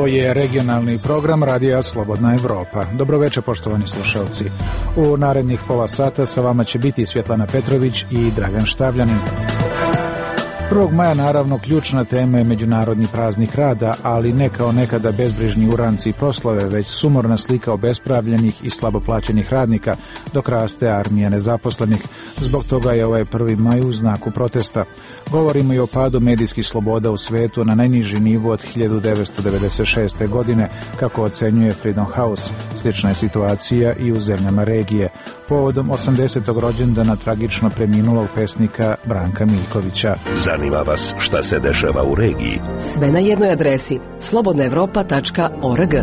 Ovo je regionalni program Radija Slobodna Evropa. Dobroveče, poštovani slušalci. U narednih pola sata sa vama će biti Svjetlana Petrović i Dragan Štavljanin. 1. maja naravno ključna tema je Međunarodni praznik rada, ali ne kao nekada bezbrižni uranci i proslave, već sumorna slika obespravljenih i slabo plaćenih radnika, dok raste armija nezaposlenih. Zbog toga je ovaj 1. maj u znaku protesta. Govorimo i o padu medijskih sloboda u svetu na najniži nivo od 1996. godine, kako ocenjuje Freedom House. Slična je situacija i u zemljama regije. Povodom 80. rođendana tragično preminulog pesnika Branka Miljkovića. Zanima vas šta se dešava u regiji? Sve na jednoj adresi slobodnaevropa.org.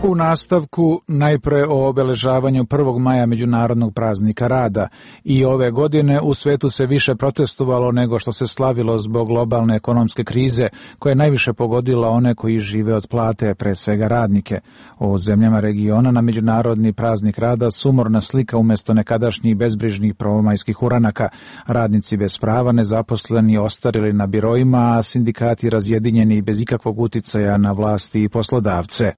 U nastavku najpre o obeležavanju 1. maja Međunarodnog praznika rada. I ove godine u svetu se više protestovalo nego što se slavilo zbog globalne ekonomske krize koja je najviše pogodila one koji žive od plate, pre svega radnike. U zemljama regiona na Međunarodni praznik rada sumorna slika umjesto nekadašnjih bezbrižnih prvomajskih uranaka. Radnici bez prava, nezaposleni, ostarili na biroima, a sindikati razjedinjeni bez ikakvog uticaja na vlasti i poslodavce.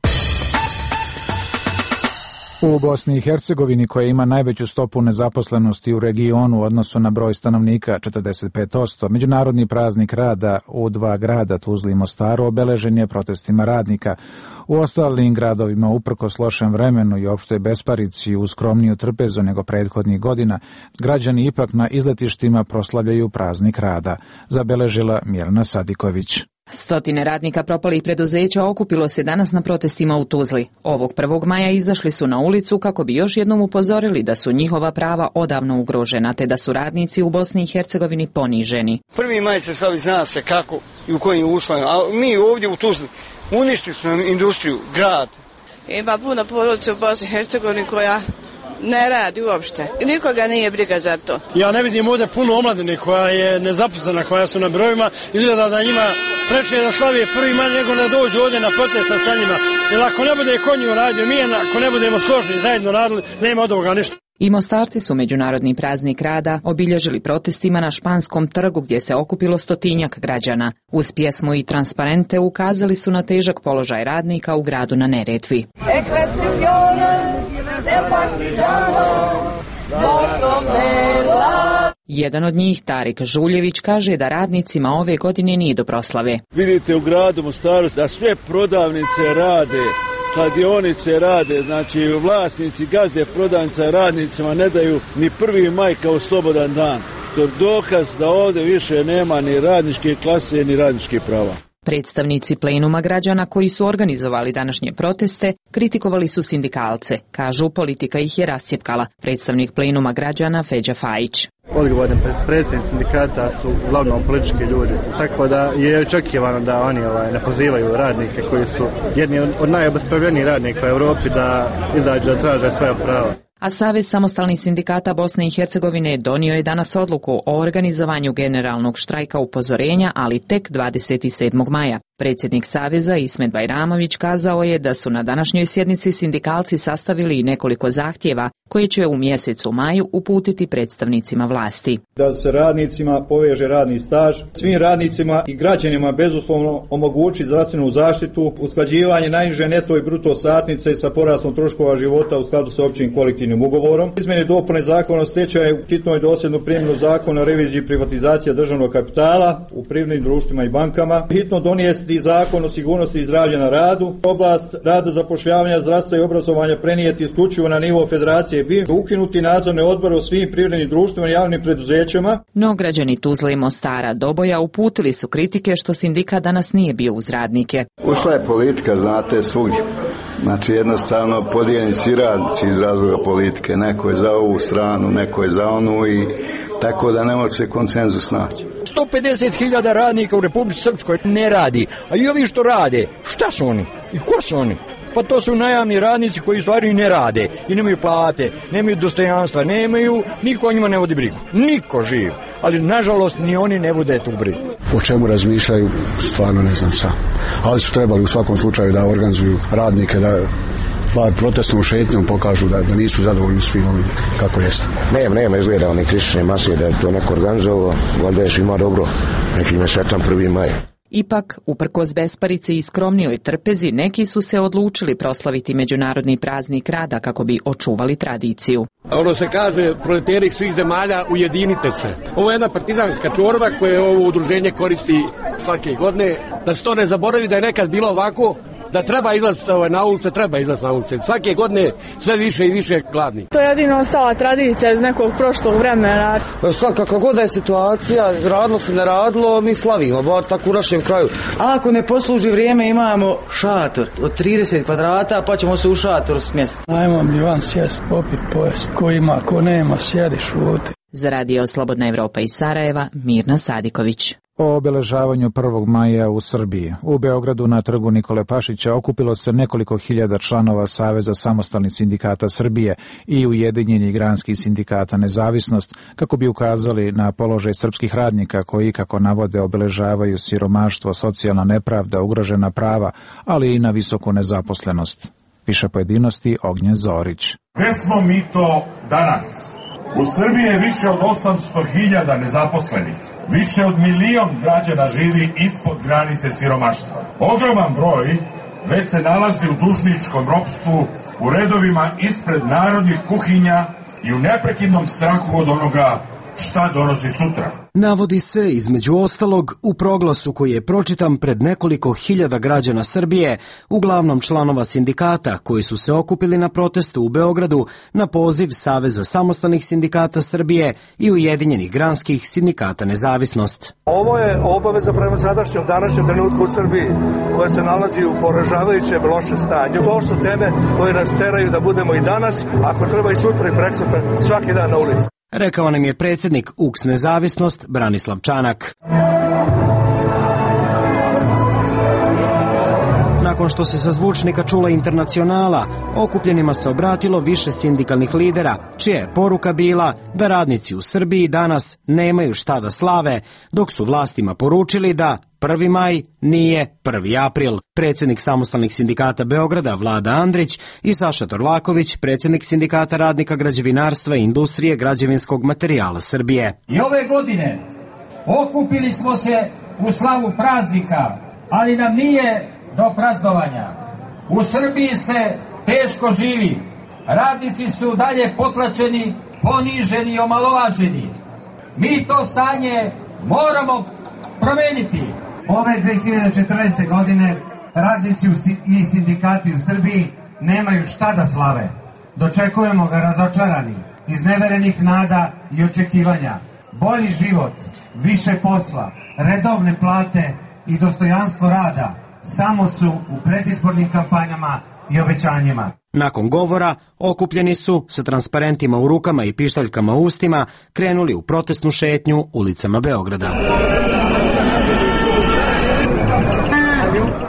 U Bosni i Hercegovini, koja ima najveću stopu nezaposlenosti u regionu u odnosu na broj stanovnika, 45%, Međunarodni praznik rada u dva grada, Tuzli i Mostaru, obeležen je protestima radnika. U ostalim gradovima, uprkos lošem vremenu i opštoj besparici uz skromniju trpezu nego prethodnih godina, građani ipak na izletištima proslavljaju praznik rada, zabeležila Mirna Sadiković. Stotine radnika propalih preduzeća okupilo se danas na protestima u Tuzli. Ovog 1. maja izašli su na ulicu kako bi još jednom upozorili da su njihova prava odavno ugrožena, te da su radnici u Bosni i Hercegovini poniženi. 1. maj se slavi, zna se kako i u kojim uslovima, a mi ovdje u Tuzli uništili su nam industriju, grad. Ima puno porodica u Bosni i Hercegovini koja ne radi uopšte. Nikoga nije briga za to. Ja ne vidim ovdje puno omladine koja je nezaposlena, koja su na brojima. Izgleda da njima preče da slavi 1. maj nego da dođu ovdje na protesta sa njima. Jer ako ne bude konju radio, mi ako ne budemo složni zajedno radili, nema od ovoga ništa. I Mostarci su Međunarodni praznik rada obilježili protestima na Španskom trgu gdje se okupilo stotinjak građana. Uz pjesmu i transparente ukazali su na težak položaj radnika u gradu na Neretvi. Jedan od njih, Tarik Žuljević, kaže da radnicima ove godine nije do proslave. Vidite u gradu Mostaru da sve prodavnice rade, kladionice rade, znači vlasnici, gazde prodavnica radnicima ne daju ni 1. maj kao slobodan dan. To je dokaz da ovdje više nema ni radničke klase ni radničkih prava. Predstavnici plenuma građana koji su organizovali današnje proteste kritikovali su sindikalce. Kažu, politika ih je rascjepkala. Predstavnik plenuma građana Feđa Fajić. Odgovorni predstavnici sindikata su uglavnom politički ljudi, tako da je očekivano da oni ne pozivaju radnike koji su jedni od najobespravljenijih radnika u Europi da izađu da traže svoja prava. A Savez samostalnih sindikata Bosne i Hercegovine donio je danas odluku o organizovanju generalnog štrajka upozorenja, ali tek 27. maja. Predsjednik Saveza Ismet Bajramović kazao je da su na današnjoj sjednici sindikalci sastavili nekoliko zahtjeva koje će u mjesecu maju uputiti predstavnicima vlasti. Da se radnicima poveže radni staž, svim radnicima i građanima bezuslovno omogući zdravstvenu zaštitu, usklađivanje najniže neto i bruto satnice sa porastom troškova života u skladu sa općim kolektivnim ugovorom, izmjene i dopune zakona o stečaju, hitno i dosljednu primjenu zakona o reviziji privatizacije državnog kapitala u privrednim društvima i bankama, hitno donijeti zakon o sigurnosti i zdravlja na radu, oblast rada, zapošljavanja, zdravstva i obrazovanja prenijeti isključivo na nivo federacije BiH, ukinuti nadzorne odbore u svim privrednim društvima i javnim preduzećima. No građani Tuzle i Mostara Doboja uputili su kritike što sindikat danas nije bio uz radnike. Ušla je politika, znate, svugdje. Znači jednostavno podijeljeni si radnici iz razloga politike. Neko je za ovu stranu, neko je za onu i tako da ne može se konsenzus naći. 150.000 radnika u Republici Srpskoj ne radi, a i ovi što rade, šta su oni i ko su oni? Pa to su najamni radnici koji stvari ne rade i nemaju plate, nemaju dostojanstva, nemaju, niko o njima ne vodi brigu, niko živ, ali nažalost ni oni ne vode tu brigu. O čemu razmišljaju, stvarno ne znam sam, ali su trebali u svakom slučaju da organizuju radnike, da bar protestnom šetnjom pokažu da nisu zadovoljni svim ovim kako jeste. Nema izgleda one kritične masije da je to neko organizovao, valjda je svima dobro, neki sretan 1. maj. Ipak, uprkos besparici i skromnijoj trpezi, neki su se odlučili proslaviti Međunarodni praznik rada kako bi očuvali tradiciju. Ono se kaže, proleteri svih zemalja, ujedinite se. Ovo je jedna partizanska čorba koje ovo udruženje koristi svake godine. Da se to ne zaboravi da je nekad bilo ovako, da treba izlaziti na ulice, treba izlaziti na ulice. Svake godine sve više i više gladni. To je jedino ostala tradicija iz nekog prošlog vremena. Svakako god da je situacija, radilo se ne radilo, mi slavimo, bar tako u našem kraju. A ako ne posluži vrijeme, imamo šator od 30 kvadrata, pa ćemo se u šatoru smjestiti. Ajmo mi van sjest, popit, pojest. Ko ima, ko nema, sjedi, šuti. Za Radio Slobodna Evropa iz Sarajeva, Mirna Sadiković. O obeležavanju 1. maja u Srbiji. U Beogradu na trgu Nikole Pašića okupilo se nekoliko hiljada članova Saveza samostalnih sindikata Srbije i Ujedinjenih granskih sindikata Nezavisnost kako bi ukazali na položaj srpskih radnika koji, kako navode, obeležavaju siromaštvo, socijalna nepravda, ugrožena prava, ali i na visoku nezaposlenost. Više pojedinosti Ognjen Zorić. Gde smo mi to danas? U Srbiji je više od 800.000 nezaposlenih. Više od 1 milion građana živi ispod granice siromaštva. Ogroman broj već se nalazi u dužničkom ropstvu, u redovima ispred narodnih kuhinja i u neprekidnom strahu od onoga šta donosi sutra. Navodi se, između ostalog, u proglasu koji je pročitan pred nekoliko hiljada građana Srbije, uglavnom članova sindikata koji su se okupili na protestu u Beogradu na poziv Saveza samostalnih sindikata Srbije i Ujedinjenih granskih sindikata Nezavisnost. Ovo je obaveza prema sadašnjem današnjem trenutku u Srbiji koja se nalazi u poražavajućem lošem stanju. To su teme koje nas teraju da budemo i danas, ako treba i sutra i preksutra, svaki dan na ulici. Rekao nam je predsjednik UKS Nezavisnost Branislav Čanak. Nakon što se sa zvučnika čula Internacionala, okupljenima se obratilo više sindikalnih lidera, čija je poruka bila da radnici u Srbiji danas nemaju šta da slave, dok su vlastima poručili da 1. maj nije 1. april. Predsjednik samostalnih sindikata Beograda Vlada Andrić i Saša Torlaković, predsjednik sindikata radnika građevinarstva i industrije građevinskog materijala Srbije. I ove godine okupili smo se u slavu praznika, ali nam nije do praznovanja. U Srbiji se teško živi. Radnici su dalje potlačeni, poniženi i omalovaženi. Mi to stanje moramo promeniti. Ove 2014. godine radnici i sindikati u Srbiji nemaju šta da slave. Dočekujemo ga razočarani, izneverenih nada i očekivanja. Bolji život, više posla, redovne plate i dostojanstvo rada samo su u predizbornim kampanjama i obećanjima. Nakon govora, okupljeni su sa transparentima u rukama i pištaljkama u ustima krenuli u protestnu šetnju ulicama Beograda.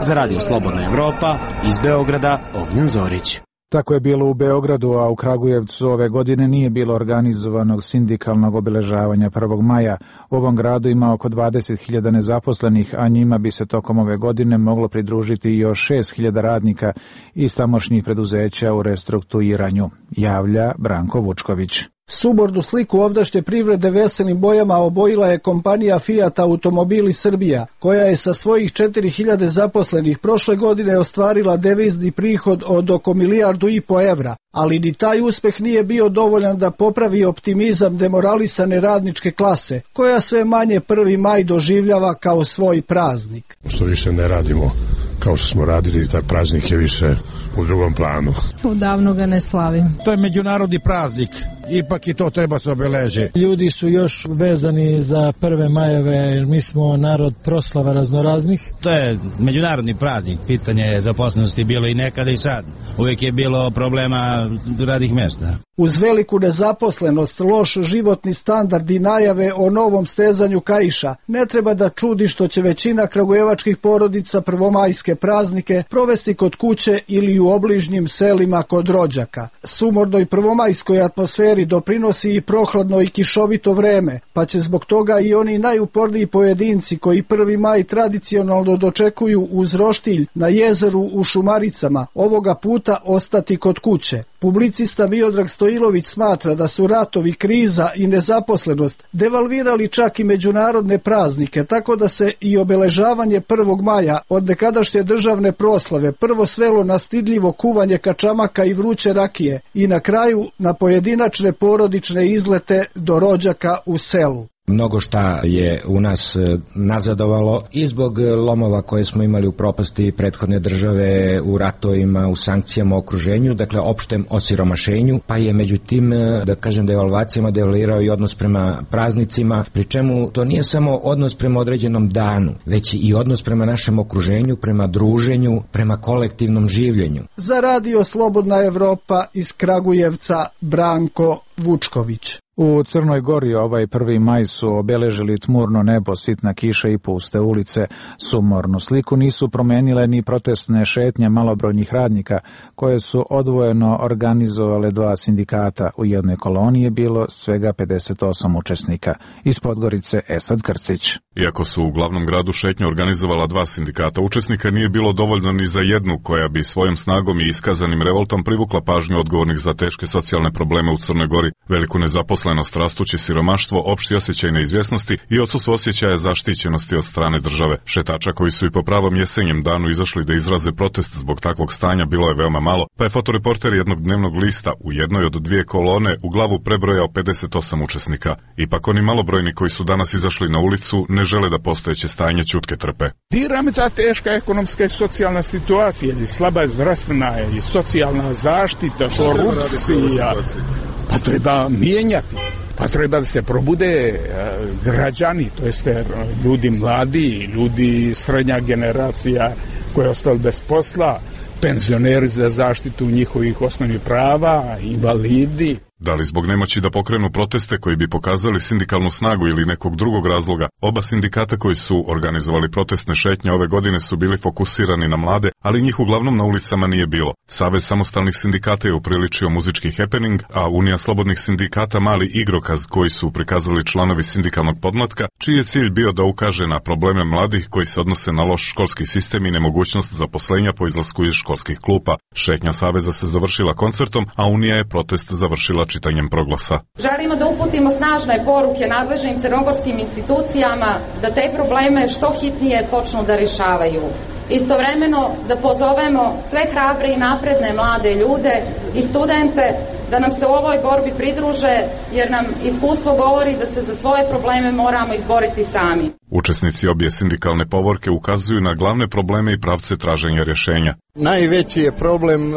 Za Radio Slobodna Evropa, iz Beograda, Ognjen Zorić. Tako je bilo u Beogradu, a u Kragujevcu ove godine nije bilo organizovanog sindikalnog obeležavanja 1. maja. U ovom gradu ima oko 20.000 nezaposlenih, a njima bi se tokom ove godine moglo pridružiti još 6.000 radnika iz tamošnjih preduzeća u restrukturiranju, javlja Branko Vučković. Subornu sliku ovdašnje privrede veselim bojama obojila je kompanija Fiat Automobili Srbija, koja je sa svojih 4.000 zaposlenih prošle godine ostvarila devizni prihod od oko 1,5 milijardu evra, ali ni taj uspeh nije bio dovoljan da popravi optimizam demoralisane radničke klase, koja sve manje 1. maj doživljava kao svoj praznik. Što više ne radimo kao što smo radili, taj praznik je više u drugom planu. Odavno ga ne slavim. To je međunarodni praznik, ipak i to treba se obeležiti. Ljudi su još vezani za 1. majeve, jer mi smo narod proslava raznoraznih. To je međunarodni praznik, pitanje zaposlenosti bilo i nekada i sad. Uvijek je bilo problema radnih mjesta. Uz veliku nezaposlenost, loš životni standard i najave o novom stezanju kaiša, ne treba da čudi što će većina kragujevačkih porodica prvomajske praznike provesti kod kuće ili u obližnjim selima kod rođaka. Sumornoj prvomajskoj atmosferi doprinosi i prohladno i kišovito vreme, pa će zbog toga i oni najuporniji pojedinci koji 1. maj tradicionalno dočekuju uz roštilj na jezeru u Šumaricama ovoga puta ostati kod kuće. Publicista Miodrag Stojilović smatra da su ratovi, kriza i nezaposlenost devalvirali čak i međunarodne praznike, tako da se i obeležavanje 1. maja od nekadašnje državne proslave prvo svelo na stidljivo kuvanje kačamaka i vruće rakije i na kraju na pojedinačne porodične izlete do rođaka u selu. Mnogo šta je u nas nazadovalo i zbog lomova koje smo imali u propasti prethodne države, u ratovima, u sankcijama, u okruženju, dakle opštem osiromašenju, pa je međutim, da kažem, devalvacijama devalvirao i odnos prema praznicima, pri čemu to nije samo odnos prema određenom danu, već i odnos prema našem okruženju, prema druženju, prema kolektivnom življenju. Za Radio Slobodna Evropa iz Kragujevca, Branko Vučković. U Crnoj Gori ovaj 1. maj su obeležili tmurno nebo, sitna kiša i puste ulice. Sumornu sliku nisu promenile ni protestne šetnje malobrojnih radnika, koje su odvojeno organizovale 2 sindikata. U jednoj koloni je bilo svega 58 učesnika. Iz Podgorice Esad Krcić. Iako su u glavnom gradu šetnju organizovala 2 sindikata učesnika, nije bilo dovoljno ni za jednu koja bi svojom snagom i iskazanim revoltom privukla pažnju odgovornih za teške socijalne probleme u Crnoj Gori, veliku nezaposlenost, rastuće siromaštvo, opšti osjećaj neizvjesnosti i odsustvo osjećaja zaštićenosti od strane države. Šetača koji su i po pravom jesenjem danu izašli da izraze protest zbog takvog stanja bilo je veoma malo, pa je fotoreporter jednog dnevnog lista u jednoj od 2 kolone u glavu prebrojao 58 učesnika. Ipak oni malobrojni koji su danas izašli na ulicu ne žele da postojeće stanje ćutke trpe. Dirami ta teška ekonomska i socijalna situacija, i slaba zdravstvena i socijalna zaštita, korupcija, pa treba mijenjati. Pa treba da se probude građani, to jeste ljudi mladi, ljudi srednja generacija koja je ostala bez posla, penzioneri za zaštitu njihovih osnovnih prava, invalidi. Da li zbog nemoći da pokrenu proteste koji bi pokazali sindikalnu snagu ili nekog drugog razloga, oba sindikata koji su organizovali protestne šetnje ove godine su bili fokusirani na mlade, ali njih uglavnom na ulicama nije bilo. Savez samostalnih sindikata je upriličio muzički happening, a Unija slobodnih sindikata mali igrokaz koji su prikazali članovi sindikalnog podmlatka, čiji je cilj bio da ukaže na probleme mladih koji se odnose na loš školski sistem i nemogućnost zaposlenja po izlasku iz školskih klupa. Šetnja Saveza se završila koncertom, a Unija je protest završila čitanjem proglasa. Želimo da uputimo snažne poruke nadležnim crnogorskim institucijama da te probleme što hitnije počnu da rješavaju. Istovremeno da pozovemo sve hrabre i napredne mlade ljude i studente da nam se u ovoj borbi pridruže, jer nam iskustvo govori da se za svoje probleme moramo izboriti sami. Učesnici obje sindikalne povorke ukazuju na glavne probleme i pravce traženja rješenja. Najveći je problem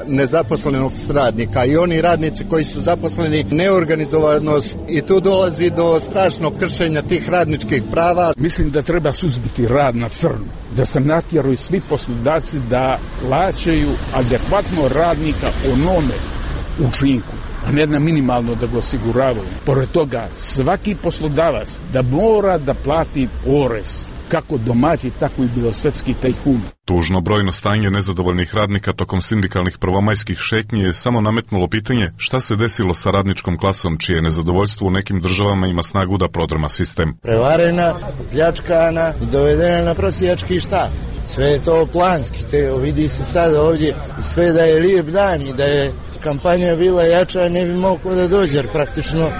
nezaposlenost radnika i oni radnici koji su zaposleni, neorganizovanost, i tu dolazi do strašnog kršenja tih radničkih prava. Mislim da treba suzbiti rad na crno, da se natjeraju svi poslodavci da plaćaju adekvatno radnika onome učinku, a ne na minimalno da ga osiguravaju. Pored toga, svaki poslodavac da mora da plati porez, kako domaći, tako i belosvetski tajkuni. Tužno brojno stanje nezadovoljnih radnika tokom sindikalnih prvomajskih šetnji je samo nametnulo pitanje šta se desilo sa radničkom klasom, čije nezadovoljstvo u nekim državama ima snagu da prodrma sistem. Prevarena, pljačkana i dovedena na prosjački štap. Sve je to planski, vidi se sad ovdje, sve da je lijep dan i da je kampanja bila jača, ne bi moglo da dođe, jer praktično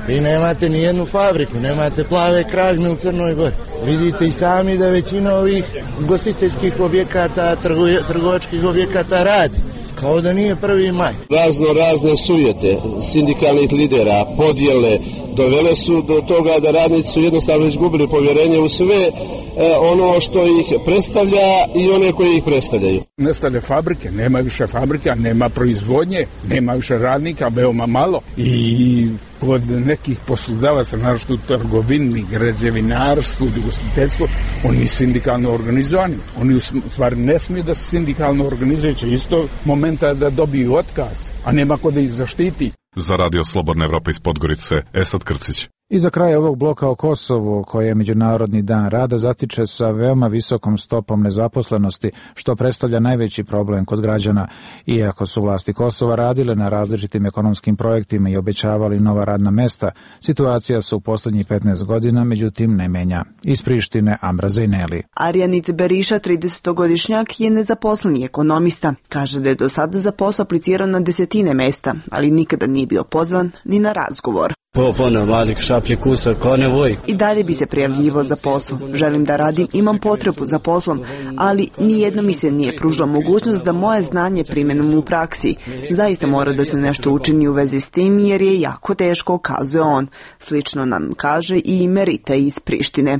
vi nemate ni jednu fabriku, nemate plave kraljme u Crnoj Gori. Vidite i sami da većina ovih ugostiteljskih objekata, trgovačkih objekata radi, kao da nije 1. maj. Razne sujete sindikalnih lidera, podjele, dovele su do toga da radnici su jednostavno izgubili povjerenje u sve ono što ih predstavlja i one koji ih predstavljaju. Nestale fabrike, nema više fabrika, nema proizvodnje, nema više radnika, veoma malo, i kod nekih poslodavaca, naročito u trgovini, građevinarstvu, ugostiteljstvu, oni nisu sindikalno organizovani. Oni u stvari ne smiju da se sindikalno organizuju, će isto momenta da dobiju otkaz, a nema ko da ih zaštiti. Za Radio Slobodna Evropa iz Podgorice, Esad Krcić. I za kraj ovog bloka o Kosovu, koji je Međunarodni dan rada, zatiče sa veoma visokom stopom nezaposlenosti, što predstavlja najveći problem kod građana. Iako su vlasti Kosova radile na različitim ekonomskim projektima i obećavali nova radna mesta, situacija se u poslednjih 15 godina međutim ne menja. Iz Prištine, Amra Zejneli. Arjanit Beriša, 30-godišnjak, je nezaposleni ekonomista. Kaže da je do sada za posao aplicirao na desetine mesta, ali nikada nije bio pozvan ni na razgovor. I dalje bi se prijavljivo za posao. Želim da radim, imam potrebu za poslom, ali nijedno mi se nije pružila mogućnost da moje znanje primenom u praksi. Zaista mora da se nešto učini u vezi s tim, jer je jako teško, kazuje on. Slično nam kaže i Merita iz Prištine.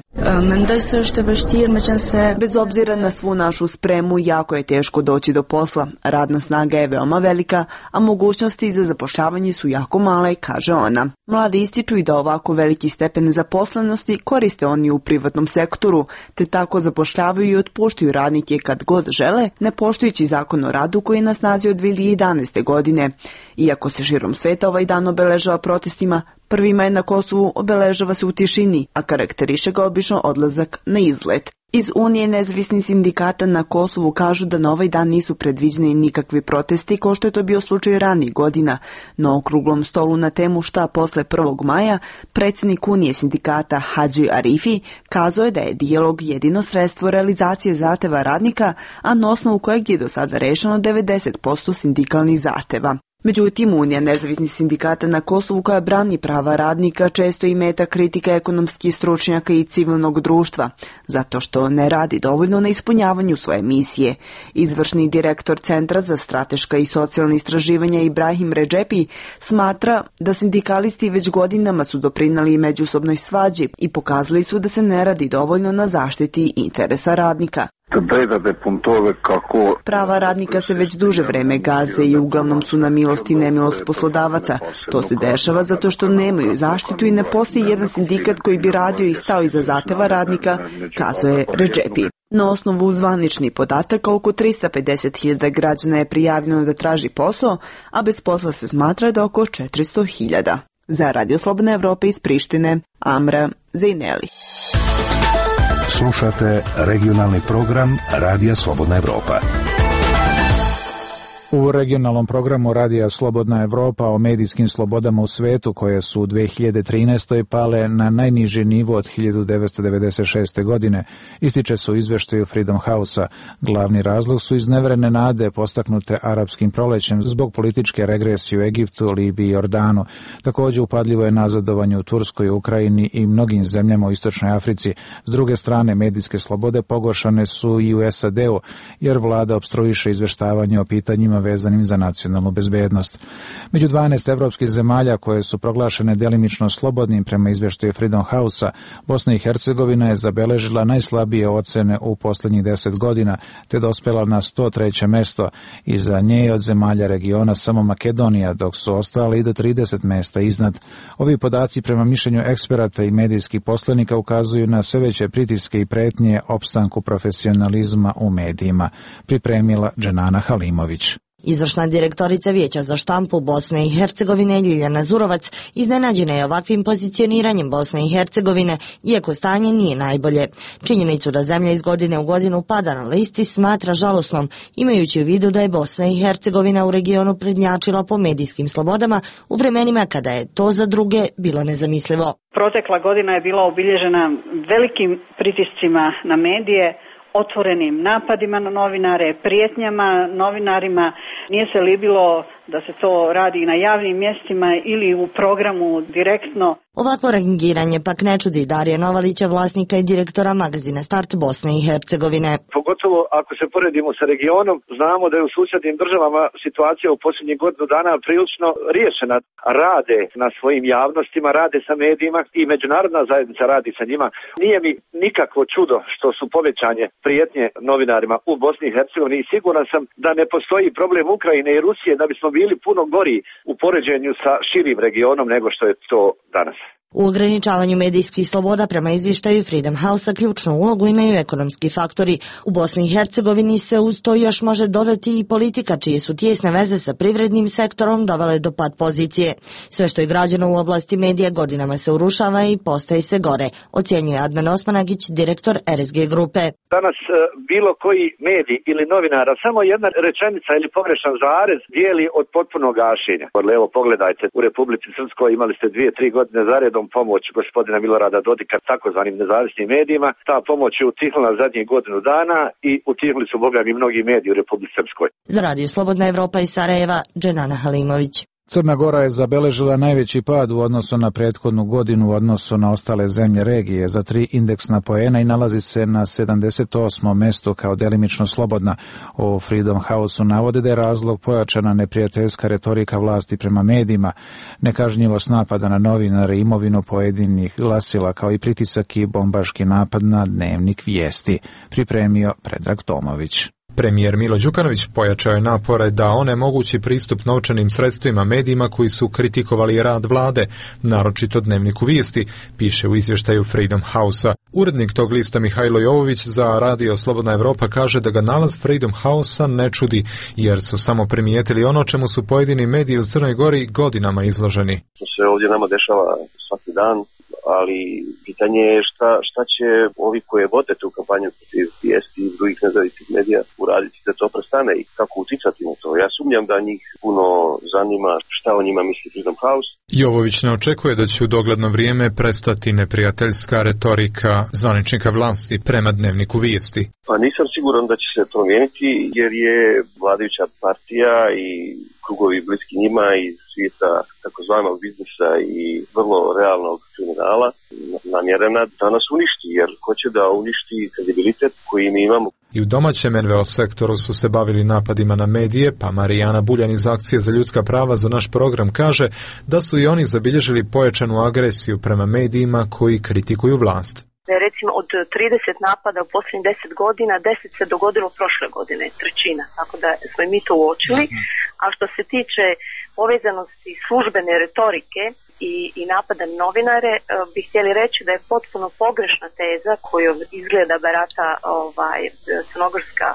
Bez obzira na svu našu spremu, jako je teško doći do posla. Radna snaga je veoma velika, a mogućnosti za zapošljavanje su jako male, kaže ona. Mladi ističu i da ovako veliki stepen nezaposlenosti koriste oni u privatnom sektoru, te tako zapošljavaju i otpuštaju radnike kad god žele, ne poštujući zakon o radu koji je na snazi od 2011. godine. Iako se širom sveta ovaj dan obeležava protestima, 1. maj na Kosovu obeležava se u tišini, a karakteriše ga obično odlazak na izlet. Iz Unije nezavisnih sindikata na Kosovu kažu da na ovaj dan nisu predviđeni nikakvi protesti, kao što je to bio slučaj ranijih godina. Na okruglom stolu na temu šta posle 1. maja, predsjednik Unije sindikata Hadži Arifi kazao je da je dijalog jedino sredstvo realizacije zahteva radnika, a na osnovu kojeg je do sada rešeno 90% sindikalnih zahteva. Međutim, Unija nezavisnih sindikata na Kosovu, koja brani prava radnika, često i meta kritika ekonomskih stručnjaka i civilnog društva, zato što ne radi dovoljno na ispunjavanju svoje misije. Izvršni direktor Centra za strateška i socijalna istraživanja Ibrahim Redžepi smatra da sindikalisti već godinama su doprinali međusobnoj svađi i pokazali su da se ne radi dovoljno na zaštiti interesa radnika. Prava radnika se već duže vreme gaze i uglavnom su na milost i nemilost poslodavaca. To se dešava zato što nemaju zaštitu i ne postoji jedan sindikat koji bi radio i stao iza zahteva radnika, kazuje Redžepi. Na osnovu zvaničnih podataka, oko 350.000 građana je prijavljeno da traži posao, a bez posla se smatra da oko 400.000. Za Radio Slobodna Evropa iz Prištine, Amra Zejneli. Slušate regionalni program Radija Slobodna Evropa. U regionalnom programu Radija Slobodna Evropa o medijskim slobodama u svetu, koje su u 2013. pale na najniži nivo od 1996. godine, ističe se u izveštaju Freedom House-a. Glavni razlog su izneverene nade postaknute arapskim prolećem zbog političke regresije u Egiptu, Libiji i Jordanu. Također upadljivo je nazadovanje u Turskoj, Ukrajini i mnogim zemljama u Istočnoj Africi. S druge strane, medijske slobode pogoršane su i u SAD-u, jer vlada opstruiše izveštavanje o pitanjima vezanim za nacionalnu bezbednost. Među 12 evropskih zemalja koje su proglašene delimično slobodnim prema izveštaju Freedom House-a, Bosna i Hercegovina je zabeležila najslabije ocene u poslednjih 10 godina, te dospela na 103. mesto. Iza nje je od zemalja regiona samo Makedonija, dok su ostale i do 30 mesta iznad. Ovi podaci prema mišljenju eksperata i medijskih poslanika ukazuju na sve veće pritiske i pretnje opstanku profesionalizma u medijima. Pripremila Dženana Halimović. Izvršna direktorica Vijeća za štampu Bosne i Hercegovine Ljiljana Zurovac iznenađena je ovakvim pozicioniranjem Bosne i Hercegovine, iako stanje nije najbolje. Činjenicu da zemlja iz godine u godinu pada na listi smatra žalosnom, imajući u vidu da je Bosna i Hercegovina u regionu prednjačila po medijskim slobodama u vremenima kada je to za druge bilo nezamislivo. Protekla godina je bila obilježena velikim pritiscima na medije, otvorenim napadima na novinare, prijetnjama novinarima. Nije se libilo da se to radi na javnim mjestima ili u programu direktno. Ovako rangiranje pak ne čudi Darija Novalića, vlasnika i direktora magazina Start Bosne i Hercegovine. Pogotovo ako se poredimo sa regionom, znamo da je u susjednim državama situacija u posljednjih godinu dana prilično riješena. Rade na svojim javnostima, rade sa medijima i međunarodna zajednica radi sa njima. Nije mi nikakvo čudo što su povećanje prijetnje novinarima u Bosni i Hercegovini i siguran sam da ne postoji problem Ukrajine i Rusije da bismo bili puno gori u poređenju sa širim regionom nego što je to danas. U ograničavanju medijskih sloboda prema izvještaju Freedom House-a ključnu ulogu imaju ekonomski faktori. U Bosni i Hercegovini se uz to još može dodati i politika, čije su tijesne veze sa privrednim sektorom dovele do pad pozicije. Sve što je građeno u oblasti medija godinama se urušava i postaje sve gore, ocjenjuje Adnan Osmanagić, direktor RSG grupe. Danas bilo koji medij ili novinara, samo jedna rečenica ili pogrešan zarez dijeli od potpunog gašenja. Evo pogledajte, u Republici Srpskoj imali ste 2-3 godine zaredom pomoć gospodina Milorada Dodika takozvanim nezavisnim medijima. Ta pomoć je utihnula zadnjih godinu dana i utihnuli su bogami mnogi mediji u Republici Srpskoj. Za Radio Slobodna Evropa iz Sarajeva, Dženana Halimović. Crna Gora je zabeležila najveći pad u odnosu na prethodnu godinu u odnosu na ostale zemlje regije za 3 indeksna poena i nalazi se na 78. mestu kao delimično slobodna. U Freedom House-u navode da je razlog pojačana neprijateljska retorika vlasti prema medijima, nekažnjivost napada na novinare, imovinu pojedinih glasila, kao i pritisak i bombaški napad na Dnevnik vijesti, pripremio Predrag Tomović. Premijer Milo Đukanović pojačao je napore da onemogući pristup novčanim sredstvima medijima koji su kritikovali rad vlade, naročito Dnevniku vijesti, piše u izvještaju Freedom House-a. Urednik tog lista Mihajlo Jovović za Radio Slobodna Evropa kaže da ga nalaz Freedom House-a ne čudi, jer su samo primijetili ono čemu su pojedini mediji u Crnoj Gori godinama izloženi. To se ovdje nama dešava svaki dan, ali pitanje je šta će ovi koje vode tu kampanju protiv vijesti i drugih nezavisnih medija uraditi da to prestane i kako uticati na to. Ja sumnjam da njih puno zanima šta o njima misli Freedom House. Jovović ne očekuje da će u dogledno vrijeme prestati neprijateljska retorika zvaničnika vlasti prema Dnevniku vijesti. Pa nisam siguran da će se promijeniti jer je vladajuća partija i krugovi bliski njima iz svijeta takozvanog biznisa i vrlo realnog kriminala namjerena da nas uništi, jer hoće da uništi kredibilitet koji mi imamo. I u domaćem NVO sektoru su se bavili napadima na medije, pa Marijana Buljan iz Akcije za ljudska prava za naš program kaže da su i oni zabilježili pojačanu agresiju prema medijima koji kritikuju vlast. Recimo od 30 napada u posljednjih 10 godina, 10 se dogodilo prošle godine, trećina, tako da smo i mi to uočili. A što se tiče povezanosti službene retorike i napada na novinare, bih htjeli reći da je potpuno pogrešna teza koju izgleda barata crnogorska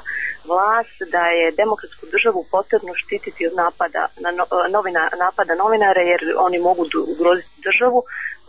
vlast, da je demokratsku državu potrebno štititi od napada novinara jer oni mogu ugroziti državu.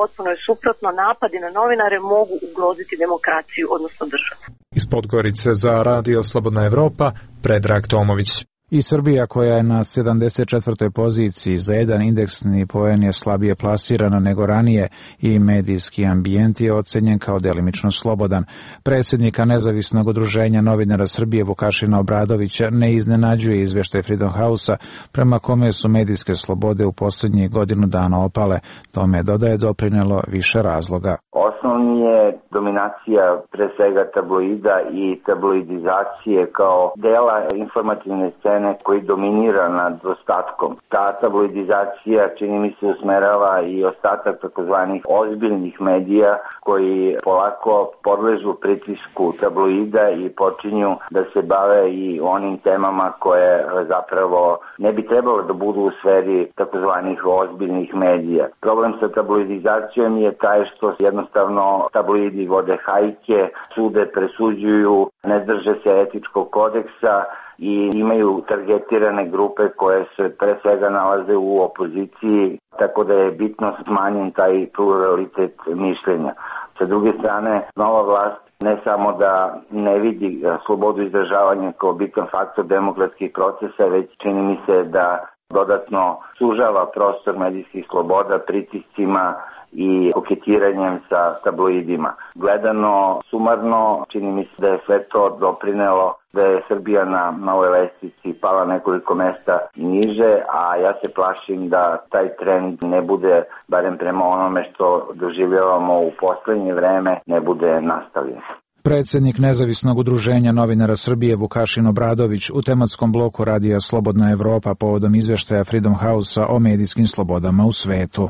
Potpuno je suprotno, napadi na novinare mogu ugroziti demokraciju, odnosno državu. Iz Podgorice za Radio Slobodna Evropa, Predrag Tomović. I Srbija, koja je na 74. poziciji, za jedan indeksni poen je slabije plasirana nego ranije i medijski ambijent je ocenjen kao delimično slobodan. Predsjednika Nezavisnog udruženja novinara Srbije Vukašina Obradovića ne iznenađuje izvještaj Freedom House-a prema kome su medijske slobode u posljednjih godinu dana opale. Tome dodaje doprinelo više razloga. Osnovni je dominacija pre svega tabloida i tabloidizacije kao dela informativne scene koji dominira nad ostatkom. Ta tabloidizacija čini mi se usmerava i ostatak takozvanih ozbiljnih medija koji polako podležu pritisku tabloida i počinju da se bave i onim temama koje zapravo ne bi trebalo da budu u sferi takozvanih ozbiljnih medija. Problem sa tabloidizacijom je taj što jednostavno tabloidi vode hajke, sude, presuđuju, ne drže se etičkog kodeksa i imaju targetirane grupe koje se pre svega nalaze u opoziciji, tako da je bitno smanjen taj pluralitet mišljenja. Sa druge strane, nova vlast ne samo da ne vidi slobodu izražavanja kao bitan faktor demokratskih procesa, već čini mi se da dodatno sužava prostor medijskih sloboda pritiscima i koketiranjem sa tabloidima. Gledano sumarno, čini mi se da je sve to doprinelo da je Srbija na ovoj lestvici pala nekoliko mesta niže, a ja se plašim da taj trend ne bude, barem prema onome što doživljavamo u poslednje vreme, ne bude nastavljen. Predsjednik Nezavisnog udruženja novinara Srbije Vukašin Obradović u tematskom bloku Radija Slobodna Evropa povodom izvještaja Freedom House-a o medijskim slobodama u svetu.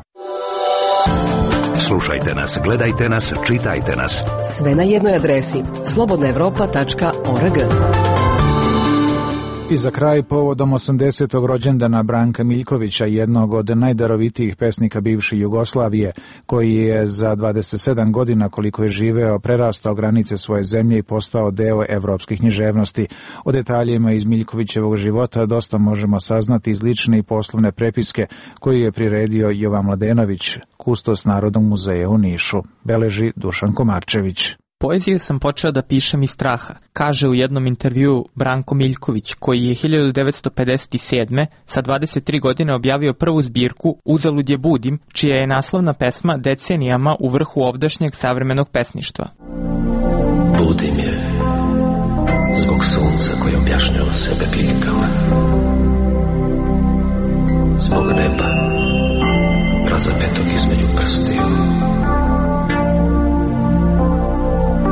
Slušajte nas, gledajte nas, čitajte nas. Sve na jednoj adresi slobodnaevropa.org. I za kraj, povodom 80. rođendana Branka Miljkovića, jednog od najdarovitijih pesnika bivše Jugoslavije, koji je za 27 godina koliko je živeo prerastao granice svoje zemlje i postao deo evropskih književnosti. O detaljima iz Miljkovićevog života dosta možemo saznati iz lične i poslovne prepiske koju je priredio Jovan Mladenović, kustos Narodnog muzeja u Nišu, beleži Dušan Komarčević. Poeziju sam počeo da pišem iz straha, kaže u jednom intervjuu Branko Miljković, koji je 1957. sa 23 godine objavio prvu zbirku Uzalud je budim, čija je naslovna pesma decenijama u vrhu ovdašnjeg savremenog pesništva. Budim je zbog sunca koje objašnjava sebe biljkama, zbog neba razapetog između prstiju.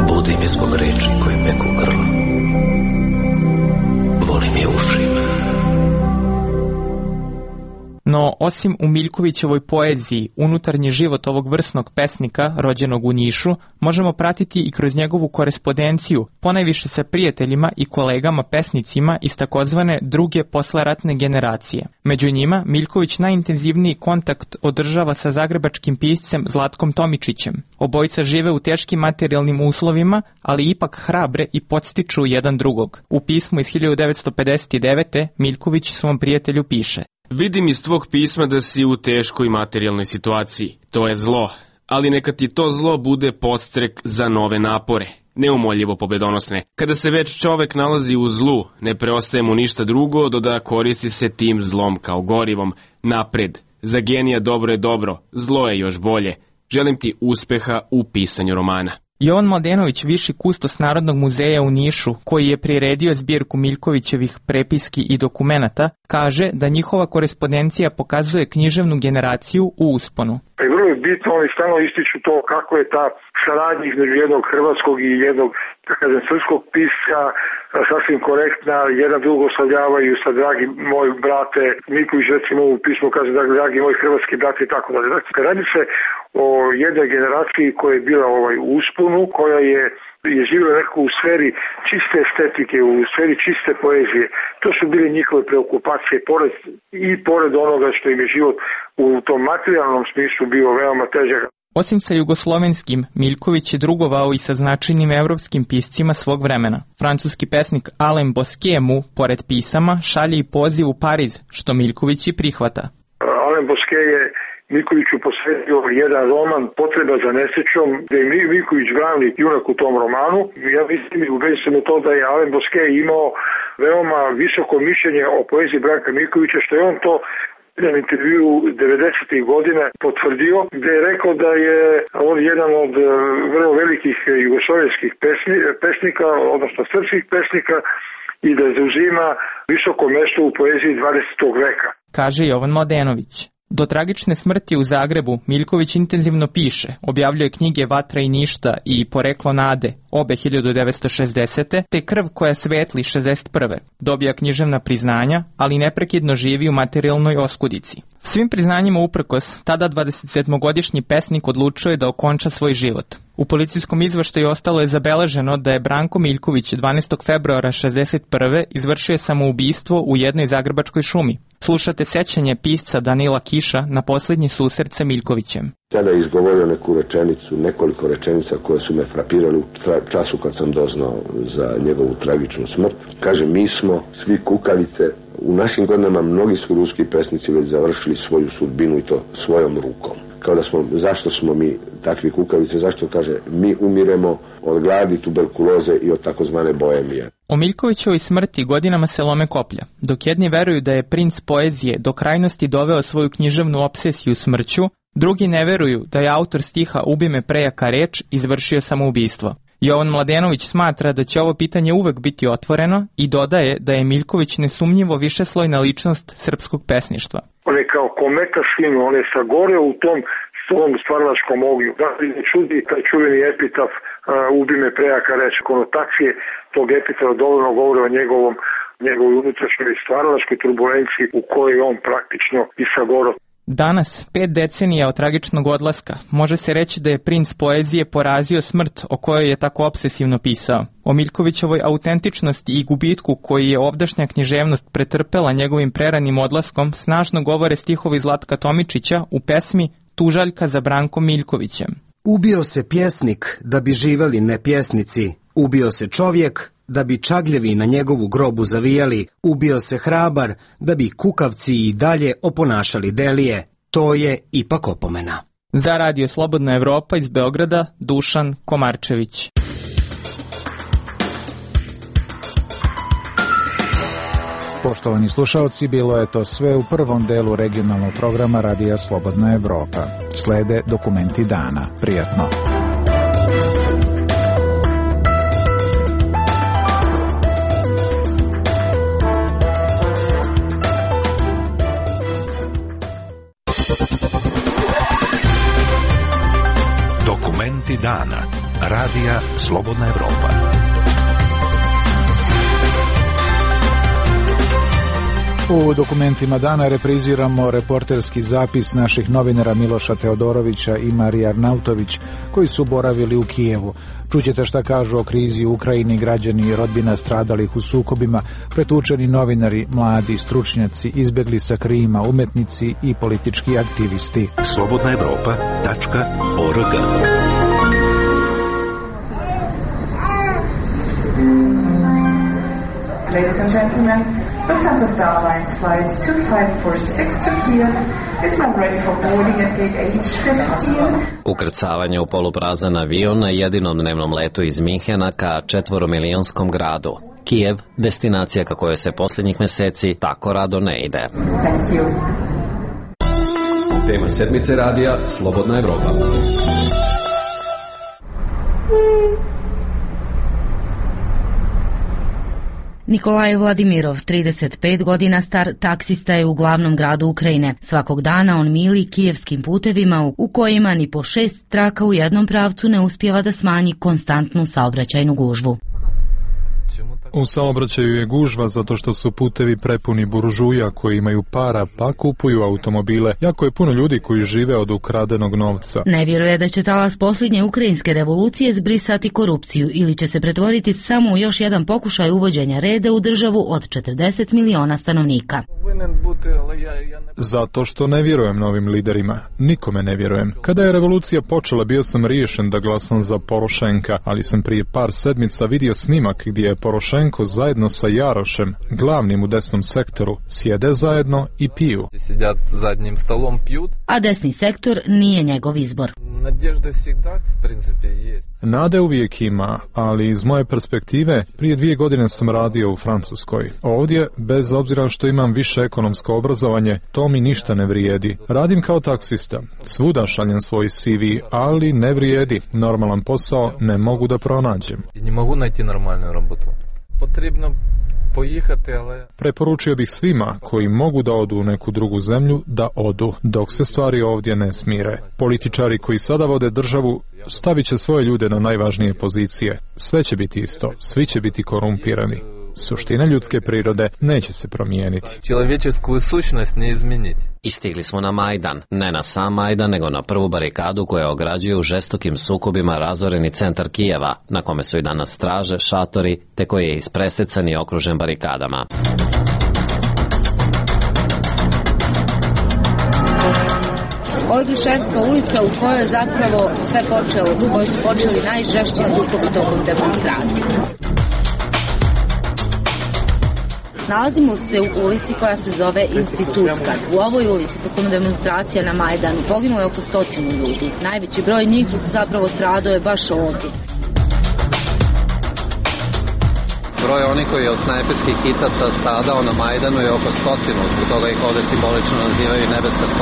Budim je zbog reči koje peku grlo. Volim je ušima. No, osim u Miljkovićevoj poeziji, unutarnji život ovog vrsnog pesnika, rođenog u Nišu, možemo pratiti i kroz njegovu korespondenciju, ponajviše sa prijateljima i kolegama pesnicima iz takozvane druge posleratne generacije. Među njima, Miljković najintenzivniji kontakt održava sa zagrebačkim piscem Zlatkom Tomičićem. Obojica žive u teškim materijalnim uslovima, ali ipak hrabre i podstiču jedan drugog. U pismu iz 1959. Miljković svom prijatelju piše: Vidim iz tvog pisma da si u teškoj materijalnoj situaciji. To je zlo, ali neka ti to zlo bude podstrek za nove napore, neumoljivo pobedonosne. Kada se već čovek nalazi u zlu, ne preostaje mu ništa drugo do da koristi se tim zlom kao gorivom. Napred, za genija dobro je dobro, zlo je još bolje. Želim ti uspeha u pisanju romana. Jovan Mladenović, viši kustos Narodnog muzeja u Nišu, koji je priredio zbirku Miljkovićevih prepiski i dokumenata, kaže da njihova korespondencija pokazuje književnu generaciju u usponu. I vrlo je bitno, oni stalno ističu to kako je ta saradnja između jednog hrvatskog i jednog, srpskog pisca sasvim korektna, jedan drugo oslavljavaju sa dragi moj brate, Miljković recimo u pismu kaže da dragi moj hrvatski brate i tako dalje. Dakle, radi se o jednoj generaciji koja je bila u usponu, koja je živjela nekako u sferi čiste estetike, u sferi čiste poezije. To su bile njihove preokupacije, pored onoga što im je život u tom materijalnom smislu bio veoma težak. Osim sa jugoslovenskim, Miljković je drugovao i sa značajnim evropskim piscima svog vremena. Francuski pesnik Alain Bosquet mu, pored pisama, šalje i poziv u Pariz, što Miljković i prihvata. Alain Bosquet je Miljkoviću posvetio jedan roman Potreba za nesrećom, gde je Miljković glavni junak u tom romanu. Ja mislim i ubeđen sam u to da je Alain Bosquet imao veoma visoko mišljenje o poeziji Branka Miljkovića, što je on to jedan intervju 90. godina potvrdio, gde je rekao da je on jedan od vrlo velikih jugoslovenskih pesnika, odnosno srpskih pesnika, i da zauzima visoko mesto u poeziji 20. veka. Kaže Jovan Mladenović. Do tragične smrti u Zagrebu Miljković intenzivno piše, objavljuje knjige Vatra i ništa i Poreklo nade, obe 1960. te Krv koja svetli 61. Dobija književna priznanja, ali neprekidno živi u materijalnoj oskudici. Svim priznanjima uprkos, tada 27-godišnji pesnik odlučio je da okonča svoj život. U policijskom izveštaju ostalo je zabeleženo da je Branko Miljković 12. februara 61. izvršio samoubistvo u jednoj zagrebačkoj šumi. Slušate sećanje pisca Danila Kiša na posljednji susret sa Miljkovićem. Tada je izgovorio neku rečenicu, nekoliko rečenica koje su me frapirali u času kad sam doznao za njegovu tragičnu smrt. Kaže, mi smo svi kukavice, u našim godinama mnogi su ruski pesnici već završili svoju sudbinu i to svojom rukom. Kao da smo, zašto smo mi takvi kukavice, zašto kaže, mi umiremo od gladi, tuberkuloze i od takozvane boemije. O Miljkovićevoj smrti godinama se lome koplja, dok jedni veruju da je princ poezije do krajnosti doveo svoju književnu obsesiju smrću, drugi ne veruju da je autor stiha Ubi me prejaka reč izvršio samoubistvo. Jovan Mladenović smatra da će ovo pitanje uvek biti otvoreno i dodaje da je Miljković nesumnjivo višeslojna ličnost srpskog pesništva. On je kao kometa sinu, on je sagoreo u tom svom stvaralačkom ognju. Da li ne čudi taj čuveni epitaf Ubi me prejaka reč, konotacije tog epitafa dovoljno govore o njegovoj unutrašnjoj stvaralačkoj turbulenciji u kojoj on praktično i sagoreo. Danas, 5 decenija od tragičnog odlaska, može se reći da je princ poezije porazio smrt o kojoj je tako obsesivno pisao. O Miljkovićevoj autentičnosti i gubitku koji je ovdašnja književnost pretrpela njegovim preranim odlaskom snažno govore stihovi Zlatka Tomičića u pesmi Tužaljka za Brankom Miljkovićem. Ubio se pjesnik da bi živeli nepjesnici, ubio se čovjek da bi čagljevi na njegovu grobu zavijali, ubio se hrabar da bi kukavci i dalje oponašali delije. To je ipak opomena. Za Radio Slobodna Evropa iz Beograda, Dušan Komarčević. Poštovani slušalci, bilo je to sve u prvom delu regionalnog programa Radija Slobodna Evropa. Slede dokumenti dana. Prijatno. Dokumenti dana. Radija Slobodna Evropa. U dokumentima dana repriziramo reporterski zapis naših novinara Miloša Teodorovića i Marije Arnautović, koji su boravili u Kijevu. Čućete šta kažu o krizi u Ukrajini građani i rodbina stradalih u sukobima, pretučeni novinari, mladi, stručnjaci, izbjegli sa Krima, umetnici i politički aktivisti. slobodnaevropa.org. Ladies and gentlemen, Lufthansa Star Alliance flight 2546 to Kiev is now ready for boarding at gate H15. Ukrcavanje u poluprazan avion na jedinom dnevnom letu iz Minhena ka 4-milionskom gradu. Kijev, destinacija ka kojoj se posljednjih meseci tako rado ne ide. Thank you. Tema sedmice radija Slobodna Evropa. Nikolaj Vladimirov, 35 godina star, taksista je u glavnom gradu Ukrajine. Svakog dana on mili kijevskim putevima u kojima ni po 6 traka u jednom pravcu ne uspijeva da smanji konstantnu saobraćajnu gužvu. U saobraćaju je gužva zato što su putevi prepuni buržuja koji imaju para pa kupuju automobile. Jako je puno ljudi koji žive od ukradenog novca. Ne vjeruje da će talas posljednje ukrajinske revolucije zbrisati korupciju ili će se pretvoriti samo u još jedan pokušaj uvođenja reda u državu od 40 miliona stanovnika. Zato što ne vjerujem novim liderima. Nikome ne vjerujem. Kada je revolucija počela, bio sam riješen da glasam za Porošenka, ali sam prije par sedmica vidio snimak gdje je Porošenko zajedno sa Jarošem, glavnim u desnom sektoru, sjede zajedno i piju. A desni sektor nije njegov izbor. Nade uvijek ima, ali iz moje perspektive prije 2 godine sam radio u Francuskoj. Ovdje, bez obzira što imam više ekonomsko obrazovanje, to mi ništa ne vrijedi. Radim kao taksista, svuda šaljem svoj CV, ali ne vrijedi. Normalan posao ne mogu da pronađem. Ne mogu najti normalnu robotu. Potrebno pojihati, ale... Preporučio bih svima koji mogu da odu u neku drugu zemlju da odu, dok se stvari ovdje ne smire. Političari koji sada vode državu stavit će svoje ljude na najvažnije pozicije. Sve će biti isto, svi će biti korumpirani. Suština ljudske prirode neće se promijeniti. Čovječesku sušnost ne izmijeniti. I stigli smo na Majdan. Ne na sam Majdan, nego na prvu barikadu koja ograđuje u žestokim sukobima razoreni centar Kijeva, na kome su i danas straže, šatori, te koji je ispresecan i okružen barikadama. Ovo je Gruševska ulica u kojoj je zapravo sve počelo, u kojoj su počeli najžešći sukobi tokom demonstracije. Nalazimo se u ulici koja se zove Institutska. U ovoj ulici tokom demonstracija na Majdanu poginulo je oko 100 ljudi. Najveći broj njih zapravo stradao je baš ovdje. Broj onih koji je od snajperskih hitaca stradao na Majdanu je oko 100, zbog toga ih ovdje simbolično nazivaju nebeska 100.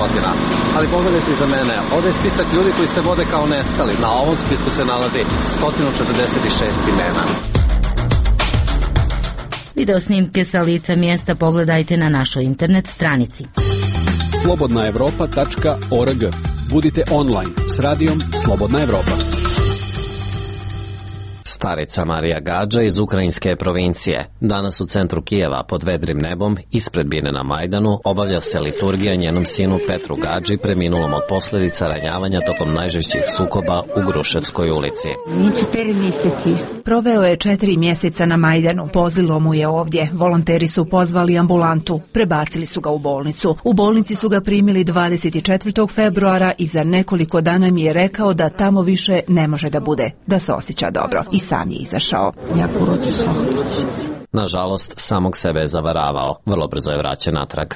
Ali pogledajte iza mene, ovdje je spisak ljudi koji se vode kao nestali. Na ovom spisku se nalazi 146 imena. Video snimke sa lica mjesta pogledajte na našoj internet stranici. slobodnaevropa.org. Budite online s radijom Slobodna Evropa. Starica Marija Gadža iz ukrajinske provincije. Danas u centru Kijeva pod vedrim nebom, ispred bine na Majdanu, obavlja se liturgija njenom sinu Petru Gadži, preminulom od posljedica ranjavanja tokom najžešćih sukoba u Gruševskoj ulici. Proveo je 4 mjeseca na Majdanu. Pozlilo mu je ovdje. Volonteri su pozvali ambulantu. Prebacili su ga u bolnicu. U bolnici su ga primili 24. februara i za nekoliko dana mi je rekao da tamo više ne može da bude, da se osjeća dobro. I sam je izašao. Nažalost, samog sebe je zavaravao. Vrlo brzo je vraćen natrag.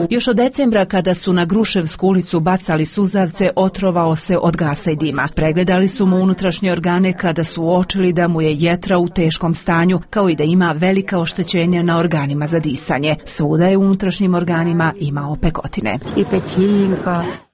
Još od decembra, kada su na Gruševsku ulicu bacali suzavce, otrovao se od gasa i dima. Pregledali su mu unutrašnje organe kada su uočili da mu je jetra u teškom stanju, kao i da ima velika oštećenja na organima za disanje. Svuda je u unutrašnjim organima imao pekotine.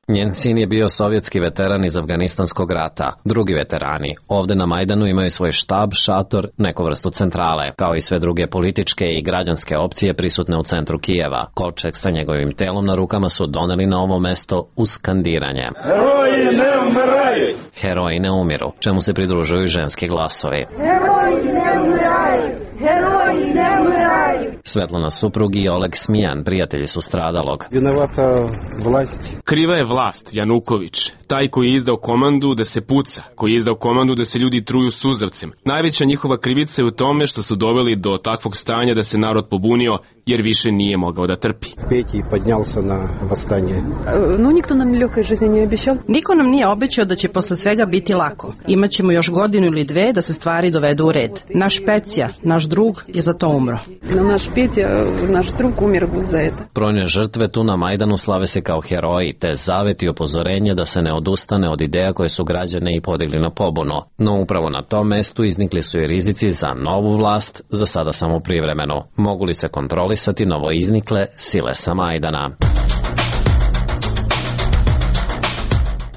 Njen sin je bio sovjetski veteran iz Afganistanskog rata. Drugi veterani ovde na Majdanu imaju svoj štab, šator, neku vrstu centrale, kao i sve druge političke i građanske opcije prisutne u centru Kijeva. Kovčeg sa njegovim telom na rukama su doneli na ovo mesto uz skandiranje. Heroji ne umiraju! Heroji ne umiru, čemu se pridružuju ženski glasovi. Heroji ne umiraju! Heroji ne umiraju! Svetlana suprug i Oleg Smijan, prijatelji su stradalog. Vinovata vlast. Kriva je vlast, Januković, taj koji je izdao komandu da se puca, koji je izdao komandu da se ljudi truju suzavcem. Najveća njihova krivica je u tome što su doveli do takvog stanja da se narod pobunio, jer više nije mogao da trpi. Peti podnjalsa na vastanje. No, nikto nam ljekoj žizni nije obećao. Niko nam nije obećao da će posle svega biti lako. Imaćemo još godinu ili dve da se stvari dovedu u red. Naš Pecija, naš drug, je za to umro. Naš Petja, naš drug umir za eto. Brojne žrtve tu na Majdanu slave se kao heroji, te zavet i upozorenje da se ne odustane od ideja koje su građane i podigli na pobunu. No upravo na tom mestu iznikli su i rizici za novu vlast, za sada samo privremenu. Mogu li se kontrolisati novo iznikle sile sa Majdana?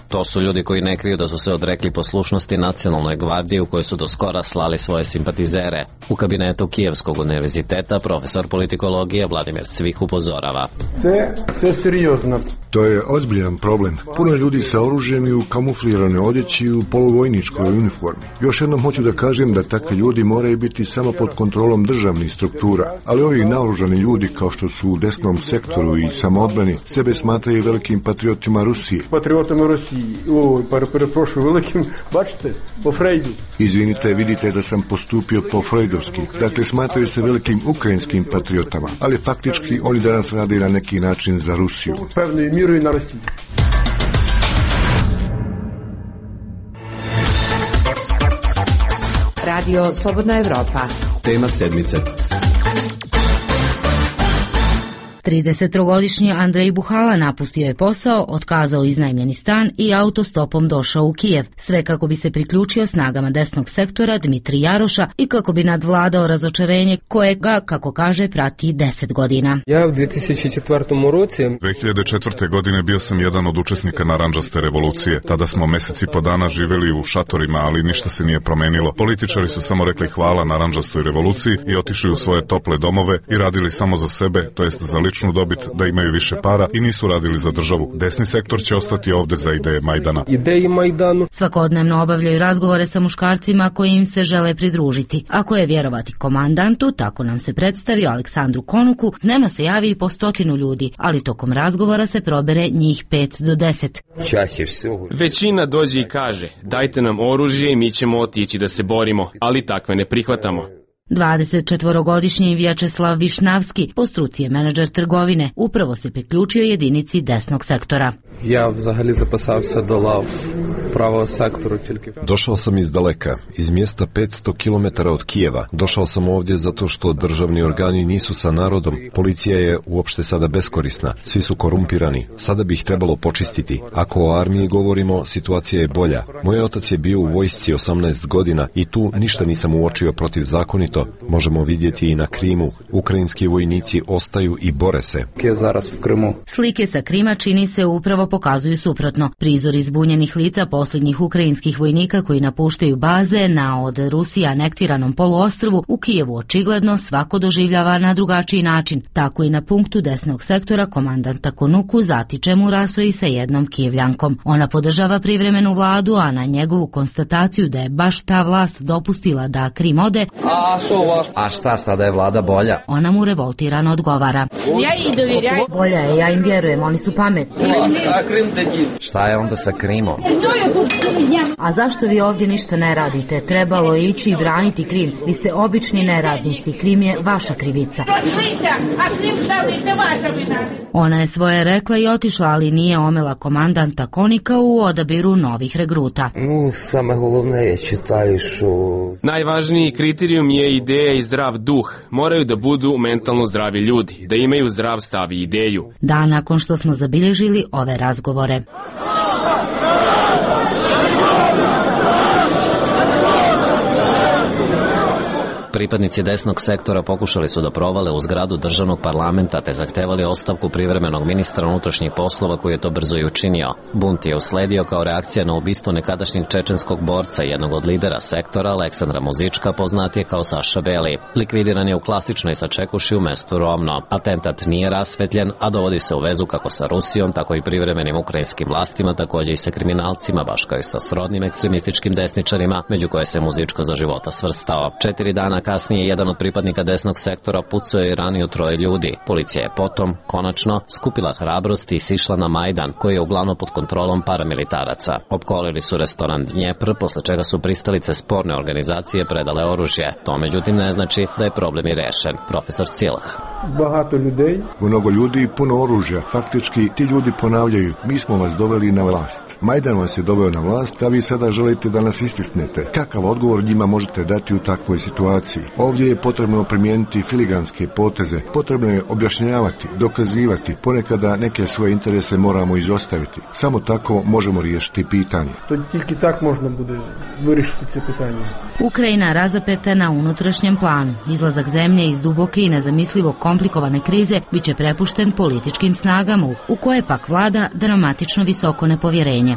To su ljudi koji ne kriju da su se odrekli poslušnosti Nacionalnoj gvardiji u kojoj su do skora slali svoje simpatizere. U kabinetu Kijevskog univerziteta profesor politikologije Vladimir Cvih upozorava. Sve seriozno. To je ozbiljan problem. Puno ljudi sa oružjem i u kamufliranoj odjeći i u poluvojničkoj uniformi. Još jednom hoću da kažem da takvi ljudi moraju biti samo pod kontrolom državnih struktura, ali ovi naoružani ljudi kao što su u desnom sektoru i samoodbrani sebe smatraju velikim patriotima Rusije. Patriotima Rusije. Preprošao velikim, bačite, po Frejdu. Izvinite, vidite da sam postupio po frejdovski. Dakle, smatraju se velikim ukrajinskim patriotama, ali faktički oni danas rade na neki način za Rusiju. Pevno i miru i na Rusiji. Radio Slobodna Evropa. Tema sedmice. 33-godišnji Andrej Buhala napustio je posao, otkazao iznajmljeni stan i autostopom došao u Kijev, sve kako bi se priključio snagama desnog sektora Dmitri Jaroša i kako bi nadvladao razočarenje koje ga, kako kaže, prati 10 godina. Ja u 2004. godine bio sam jedan od učesnika narandžaste revolucije. Tada smo meseci po dana živeli u šatorima, ali ništa se nije promenilo. Političari su samo rekli hvala narandžastoj revoluciji i otišli u svoje tople domove i radili samo za sebe, to jest za ličnu dobit, da imaju više para i nisu radili za državu. Desni sektor će ostati ovde za ideje Majdana. Svakodnevno obavljaju razgovore sa muškarcima koji im se žele pridružiti. Ako je vjerovati komandantu, tako nam se predstavio Aleksandru Konuku, dnevno se javi i po 100 ljudi, ali tokom razgovora se probere njih 5 do 10. Većina dođe i kaže, dajte nam oružje i mi ćemo otići da se borimo, ali takve ne prihvatamo. 24-godišnji Vječeslav Višnavski, po struci je menadžer trgovine, upravo se priključio jedinici desnog sektora. Ja vzahali zapasao se do lav pravog sektoru. Došao sam iz daleka, iz mjesta 500 km od Kijeva. Došao sam ovdje zato što državni organi nisu sa narodom. Policija je uopšte sada beskorisna. Svi su korumpirani. Sada bi ih trebalo počistiti. Ako o armiji govorimo, situacija je bolja. Moj otac je bio u vojsci 18 godina i tu ništa nisam uočio protivzakonito, isto možemo vidjeti i na Krimu. Ukrajinski vojnici ostaju i bore se. Slike sa Krima čini se upravo pokazuju suprotno. Prizor izbunjenih lica posljednjih ukrajinskih vojnika koji napuštaju baze na od Rusije anektiranom poluostrvu u Kijevu očigledno svako doživljava na drugačiji način. Tako i na punktu desnog sektora komandanta Konuku zatičemo u raspravi sa jednom Kijevljankom. Ona podržava privremenu vladu, a na njegovu konstataciju da je baš ta vlast dopustila da Krim ode, A šta, sada je vlada bolja? ona mu revoltirano odgovara. Bolja je, ja im vjerujem, oni su pametni. Šta je onda sa Krimom? A zašto vi ovdje ništa ne radite? Trebalo je ići i braniti Krim. Vi ste obični neradnici, Krim je vaša krivica. Ona je svoje rekla i otišla, ali nije omela komandanta Konika u odabiru novih regruta. Najvažniji kriterijum je ideja i zdrav duh. Moraju da budu mentalno zdravi ljudi, da imaju zdrav stav i ideju. Dan nakon što smo zabilježili ove razgovore. Pripadnici desnog sektora pokušali su da provale u zgradu državnog parlamenta te zahtevali ostavku privremenog ministra unutrašnjih poslova koji je to brzo i učinio. Bunt je usledio kao reakcija na ubistvo nekadašnjeg čečenskog borca, jednog od lidera sektora, Aleksandra Muzička, poznatije kao Saša Beli. Likvidiran je u klasičnoj sačekuši u mestu Rovno. Atentat nije rasvetljen, a dovodi se u vezu kako sa Rusijom, tako i privremenim ukrajinskim vlastima, također i sa kriminalcima, baš kao i sa srodnim ekstremističkim desničarima, među koje se Muzičko za života svrstao. 4 dana kasnije jedan od pripadnika desnog sektora pucao je i ranio 3 ljudi. Policija je potom, konačno, skupila hrabrost i sišla na Majdan, koji je uglavnom pod kontrolom paramilitaraca. Opkolili su restoran Dnjepr, posle čega su pristalice sporne organizacije predale oružje. To međutim ne znači da je problem i rešen. Profesor Cilh. Mnogo ljudi i puno oružja. Faktički ti ljudi ponavljaju: mi smo vas doveli na vlast. Majdan vas je doveo na vlast, a vi sada želite da nas istisnete. Kakav odgovor njima možete dati u takvoj situaciji? Ovdje je potrebno primijeniti filiganske poteze. Potrebno je objašnjavati, dokazivati. Ponekada neke svoje interese moramo izostaviti. Samo tako možemo riješiti pitanje. To tільки так можна буде вирішити це питання. Ukrajina razapeta na unutrašnjem planu. Izlazak zemlje iz duboke i nezamislivo komplikovane krize biće prepušten političkim snagama u koje pak vlada dramatično visoko nepovjerenje.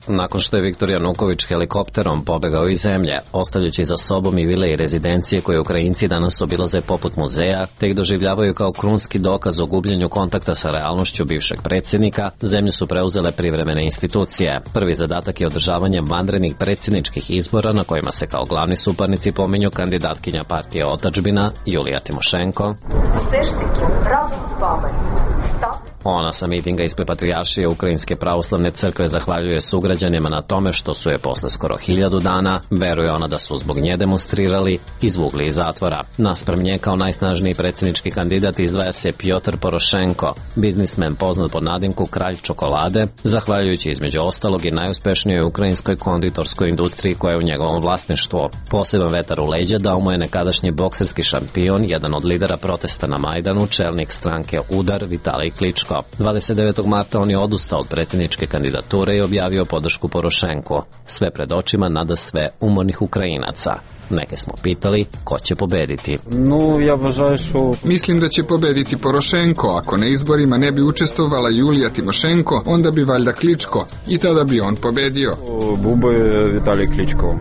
Nakon što je Viktor Januković helikopterom pobegao iz zemlje, ostavljajući za sobom i vile i rezidencije koje Ukrajinci danas obilaze poput muzeja, te ih doživljavaju kao krunski dokaz o gubljenju kontakta sa realnošću bivšeg predsjednika, zemlju su preuzele privremene institucije. Prvi zadatak je održavanje vanrednih predsjedničkih izbora na kojima se kao glavni suparnici pominju kandidatkinja partije Otadžbina Julija Timošenko. Ona sa mitinga ispred Patrijaršije Ukrajinske pravoslavne crkve zahvaljuje sugrađanima na tome što su je posle skoro 1000 dana, veruje ona da su zbog nje demonstrirali, izvukli iz zatvora. Naspram nje kao najsnažniji predsjednički kandidat izdvaja se Pjotr Porošenko, biznismen poznat pod nadimku Kralj čokolade, zahvaljujući između ostalog i najuspešnijoj ukrajinskoj konditorskoj industriji koja je u njegovom vlasništvu. Poseban vetar u leđa dao mu je nekadašnji bokserski šampion, jedan od lidera protesta na Majdanu, čelnik stranke Udar Vitalij Kličko. 29. marta on je odustao od predsjedničke kandidature i objavio podršku Porošenku. Sve pred očima nadasve umornih Ukrajinaca. Neke smo pitali ko će pobediti. Mislim da će pobediti Porošenko. Ako na izborima ne bi učestvovala Julija Timošenko, onda bi valjda Kličko i tada bi on pobedio. Vitalij Kličko.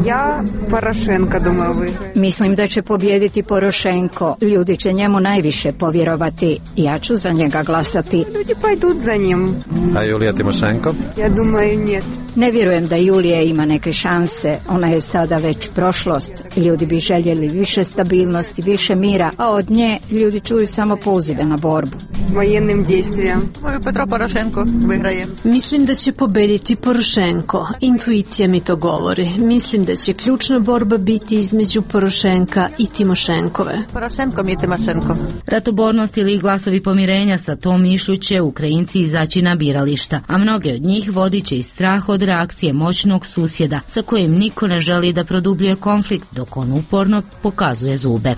Ja Porošenko думаю. Mislim da će pobijediti Porošenko. Ljudi će njemu najviše povjerovati. Ja ću za njega glasati. Ljudi pойдут za njim. A Julija Timošenko? Ja думаю нет. Ne vjerujem da Julija ima neke šanse. Ona je sada već prošlost. Ljudi bi željeli više stabilnosti, više mira, a od nje ljudi čuju samo pozive na borbu. Vojennim dejstvijam. Petro Porošenko vyhraje. Mislim da će pobediti Porošenko. Intuicija mi to govori. Mislim da će ključna borba biti između Porošenka i Timošenkove. Porošenko mi je Timošenko. Ratobornost ili glasovi pomirenja, sa tom mišlju će Ukrajinci izaći na birališta, a mnoge od njih vodit će i strah od reakcije moćnog susjeda sa kojim niko ne želi da produbljuje konflikt, dok on uporno pokazuje zube.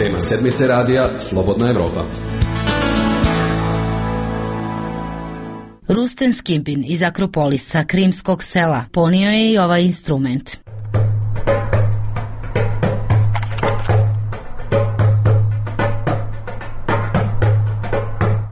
Tema sedmice radija Slobodna Evropa. Rusten Skimpin iz Akropolisa, krimskog sela, ponio je i ovaj instrument.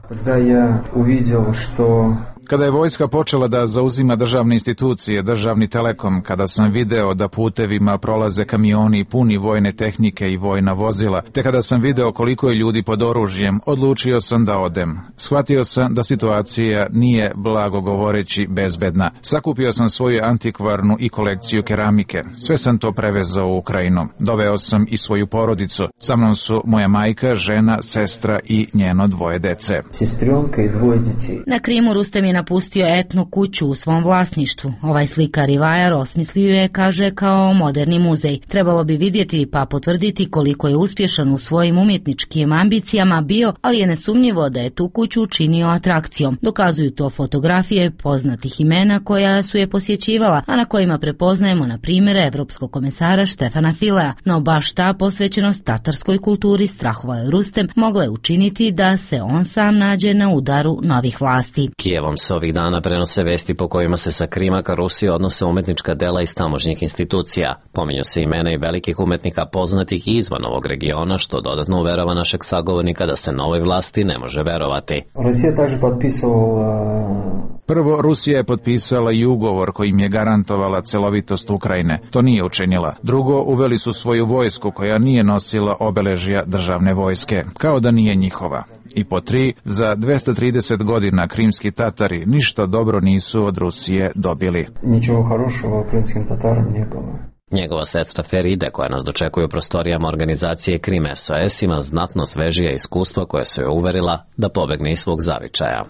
Kada ja uvidio što Kada je vojska počela da zauzima državne institucije, državni telekom, kada sam video da putevima prolaze kamioni puni vojne tehnike i vojna vozila, te kada sam video koliko je ljudi pod oružjem, odlučio sam da odem. Shvatio sam da situacija nije, blago govoreći, bezbedna. Sakupio sam svoju antikvarnu i kolekciju keramike. Sve sam to prevezao u Ukrajinu. Doveo sam i svoju porodicu. Sa mnom su moja majka, žena, sestra i njeno 2 dece. Sestronka i 2 djeci. Na Krimu Rustem je napustio etnu kuću u svom vlasništvu. Ovaj slikar i vajar osmislio je, kaže, kao moderni muzej. Trebalo bi vidjeti pa potvrditi koliko je uspješan u svojim umjetničkim ambicijama bio, ali je nesumnjivo da je tu kuću učinio atrakcijom. Dokazuju to fotografije poznatih imena koja su je posjećivala, a na kojima prepoznajemo na primjer evropskog komesara Štefana Filea. No baš ta posvećenost tatarskoj kulturi, strahovao je Rustem, mogla je učiniti da se on sam nađe na udaru novih vlasti. Kijevom se ovih dana prenose vesti po kojima se sa Krima ka Rusiji odnose umetnička dela iz tamošnjih institucija. Pominju se imena i velikih umetnika poznatih i izvan ovog regiona, što dodatno uverava našeg sagovornika da se novoj vlasti ne može verovati. Rusija također potpisala... Prvo, Rusija je potpisala i ugovor kojim je garantovala celovitost Ukrajine. To nije učinila. Drugo, uveli su svoju vojsku koja nije nosila obeležja državne vojske, kao da nije njihova. I po 3, za 230 godina krimski Tatari ništa dobro nisu od Rusije dobili. Ničego хорошего krimskim Tatarom nije bilo. Njegova sestra Feride, koja nas dočekuje u prostorijama organizacije Krim SOS, ima znatno svežija iskustva koje su je uverila da pobegne iz svog zavičaja.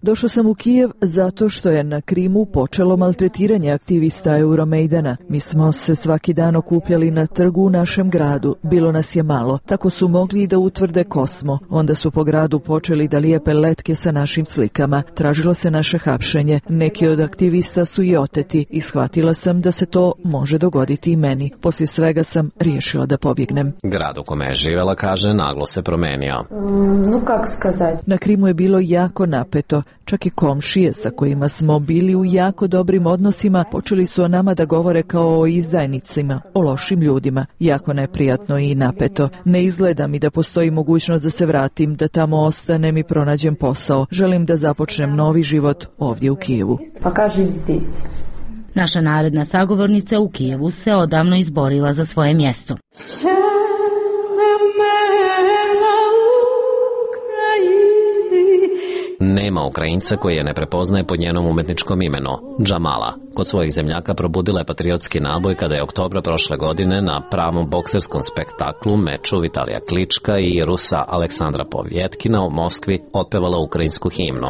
Došao sam u Kijev zato što je na Krimu počelo maltretiranje aktivista Euromaidana. Mi smo se svaki dan okupljali na trgu u našem gradu. Bilo nas je malo. Tako su mogli i da utvrde ko smo. Onda su po gradu počeli da lijepe letke sa našim slikama. Tražilo se naše hapšenje. Neki od aktivista su i oteti i shvatila sam da se to može dogoditi i meni. Poslije svega sam riješila da pobjegnem. Grad u kome je živjela, kaže, naglo se promenio. Na Krimu je bilo jako napeto. Čak i komšije sa kojima smo bili u jako dobrim odnosima počeli su o nama da govore kao o izdajnicima, o lošim ljudima. Jako neprijatno i napeto. Ne izgleda mi da postoji mogućnost da se vratim, da tamo ostanem i pronađem posao. Želim da započnem novi život ovdje u Kijevu. Naša naredna sagovornica u Kijevu se odavno izborila za svoje mjesto. Nema Ukrajinca koji je ne prepoznaje pod njenom umetničkom imenu, Džamala. Kod svojih zemljaka probudila je patriotski naboj kada je oktobra prošle godine na pravom bokserskom spektaklu, meču Vitalija Klička i Rusa Aleksandra Povjetkina u Moskvi otpevala ukrajinsku himnu.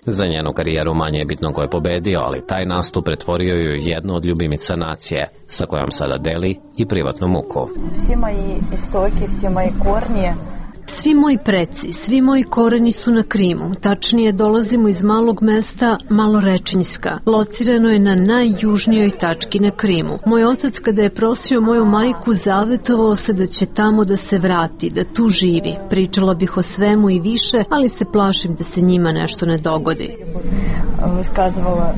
Za njenu karijeru manje je bitno ko je pobedio, ali taj nastup pretvorio ju jednu od ljubimica nacije, sa kojom sada deli i privatnu muku. Svi moji istoki, svi moji kornje. Svi moji preci, svi moji koreni su na Krimu. Tačnije, dolazimo iz malog mesta Malorečinjska. Locirano je na najjužnijoj tački na Krimu. Moj otac, kada je prosio moju majku, zavetovao se da će tamo da se vrati, da tu živi. Pričala bih o svemu i više, ali se plašim da se njima nešto ne dogodi. Сказувала,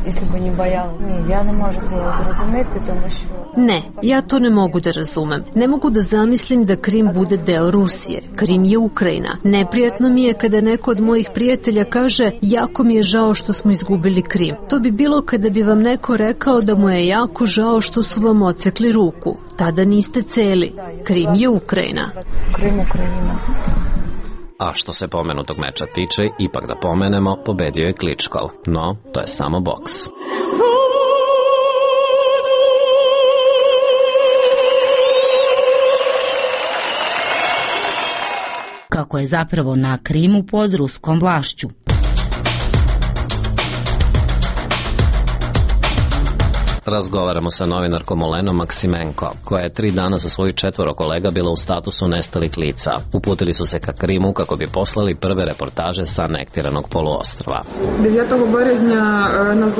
если бы не бояла. Не, я не можу цього зрозуміти, тому що... Ne, ja to ne mogu da razumem. Ne mogu da zamislim da Krim bude deo Rusije. Krim je Ukrajina. Neprijatno mi je kada neko od mojih prijatelja kaže jako mi je žao što smo izgubili Krim. To bi bilo kada bi vam neko rekao da mu je jako žao što su vam odsekli ruku. Tada niste celi. Krim je Ukrajina. Krim Ukrajina. A što se pomenutog meča tiče, ipak da pomenemo, pobedio je Kličkov. No, to je samo boks. Kako je zapravo na Krimu pod ruskom vlašću. Razgovaramo sa novinarkom Olenom Maksimenko, koja je 3 dana sa svojih 4 kolega bila u statusu nestalih lica. Uputili su se ka Krimu kako bi poslali prve reportaže sa anektiranog poluostrva.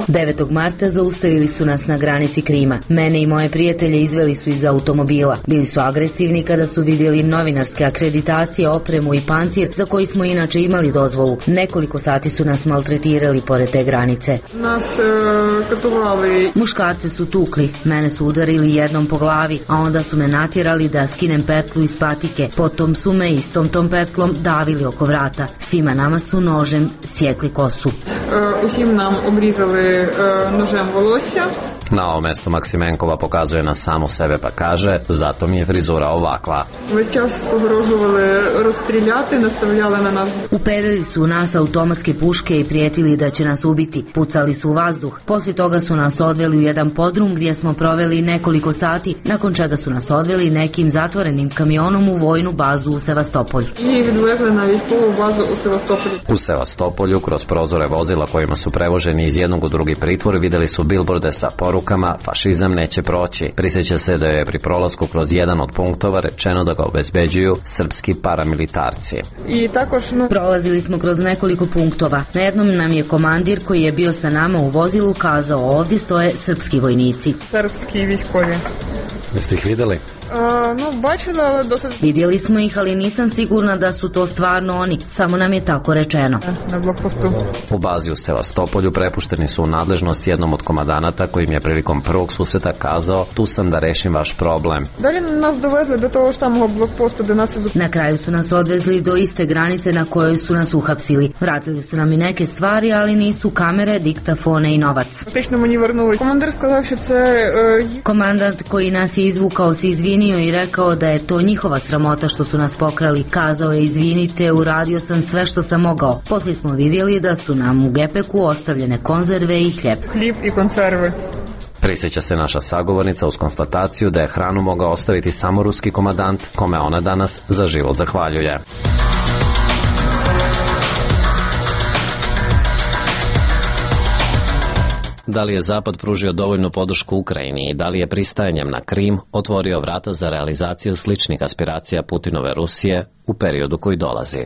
9. marta zaustavili su nas na granici Krima. Mene i moje prijatelje izveli su iz automobila. Bili su agresivni kada su vidjeli novinarske akreditacije, opremu i pancir za koji smo inače imali dozvolu. Nekoliko sati su nas maltretirali pored te granice. Muškarce su tukli, mene su udarili jednom po glavi, a onda su me natjerali da skinem petlu iz patike. Potom su me istom tom petlom davili oko vrata. Svima nama su nožem sjekli kosu. Усім нам обрізали ножем волосся. Na ovom mestu Maksimenkova pokazuje na samu sebe pa kaže, zato mi je frizura ovakva. Весь час погрожували розстріляти, наставляли на нас. Uperili su u nas automatske puške i prijetili da će nas ubiti. Pucali su u vazduh. Poslije toga su nas odveli u jedan podrum gdje smo proveli nekoliko sati, nakon čega su nas odveli nekim zatvorenim kamionom u vojnu bazu u Sevastopolju. I відвезли на військову базу у Севастополі. U Sevastopolju, kroz prozore vozila kojima su prevoženi iz jednog u drugi pritvor, vidjeli su bilborde sa porukama fašizam neće proći. Prisjeća se da je pri prolasku kroz jedan od punktova rečeno da ga obezbeđuju srpski paramilitarci. I također prolazili smo kroz nekoliko punktova. Na jednom nam je komandir koji je bio sa nama u vozilu kazao ovdje stoje srpski vojnici. Srpski vojskovi. Jeste ih vidjeli? Vidjeli smo ih, ali nisam sigurna da su to stvarno oni, samo nam je tako rečeno. Na blokpostu. U bazi u Sevastopolju prepušteni su u nadležnost jednom od komandanata kojim je prilikom prvog susreta kazao tu sam da rešim vaš problem. Dalje nas dovezli do toho samog blokposta da nas... Na kraju su nas odvezli do iste granice na kojoj su nas uhapsili. Vratili su nam i neke stvari, ali nisu kamere, diktafone i novac. Komandant koji nas je izvukao se izvinio i rekao da je to njihova sramota što su nas pokrali. Kazao je izvinite, uradio sam sve što sam mogao. Poslije smo vidjeli da su nam u gepeku ostavljene konzerve i hljeb. Hljeb i konzerve. Prisjeća se naša sagovornica uz konstataciju da je hranu mogao ostaviti samo ruski komandant, kome ona danas za život zahvaljuje. Da li je Zapad pružio dovoljnu podršku Ukrajini i da li je pristajanjem na Krim otvorio vrata za realizaciju sličnih aspiracija Putinove Rusije u periodu koji dolazi?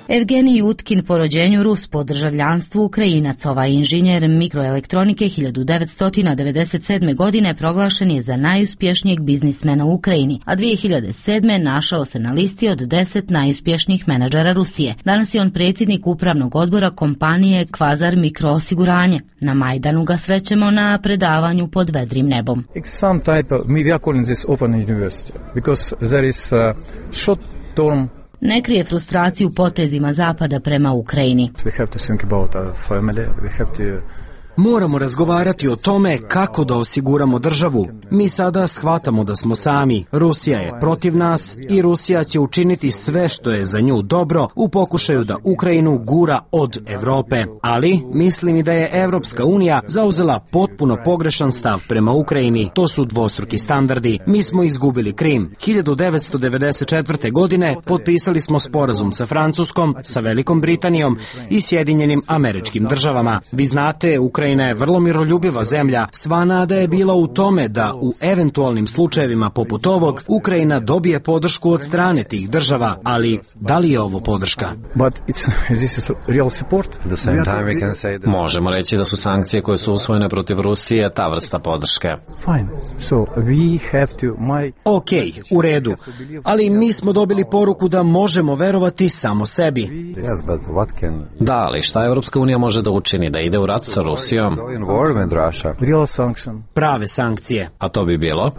Evgenij Utkin, po rođenju Rus, po državljanstvu Ukrajinac, ovaj inženjer mikroelektronike 1997. godine proglašen je za najuspješnijeg biznismena u Ukrajini, a 2007. našao se na listi od 10 najuspješnijih menadžera Rusije. Danas je on predsjednik upravnog odbora kompanije Kvazar Mikroosiguranje. Na Majdanu ga srećemo na predavanju pod vedrim nebom. Ne krije frustraciju potezima Zapada prema Ukrajini. Moramo razgovarati o tome kako da osiguramo državu. Mi sada shvatamo da smo sami. Rusija je protiv nas i Rusija će učiniti sve što je za nju dobro u pokušaju da Ukrajinu gura od Evrope. Ali mislim i da je Evropska unija zauzela potpuno pogrešan stav prema Ukrajini. To su dvostruki standardi. Mi smo izgubili Krim. 1994. godine potpisali smo sporazum sa Francuskom, sa Velikom Britanijom i Sjedinjenim Američkim Državama. Vi znate, Ukrajina je vrlo miroljubiva zemlja. Sva nada je bila u tome da u eventualnim slučajevima poput ovog Ukrajina dobije podršku od strane tih država, ali da li je ovo podrška? Možemo reći da su sankcije koje su usvojene protiv Rusije ta vrsta podrške. Ok, u redu, ali mi smo dobili poruku da možemo verovati samo sebi. Da, ali šta Evropska unija može da učini? Da ide u rat sa Rusijom? Prave sankcije. A to bi bilo?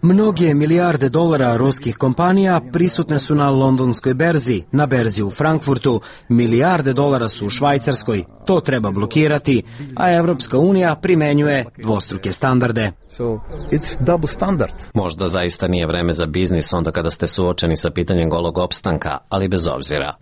Mnoge milijarde dolara ruskih kompanija prisutne su na londonskoj berzi, na berzi u Frankfurtu, milijarde dolara su u Švajcarskoj. To treba blokirati, a Evropska unija primenjuje dvostruke standarde. Možda zaista nije vreme za biznis onda kada ste suočeni sa pitanjem golog opstanka, ali bez obzira.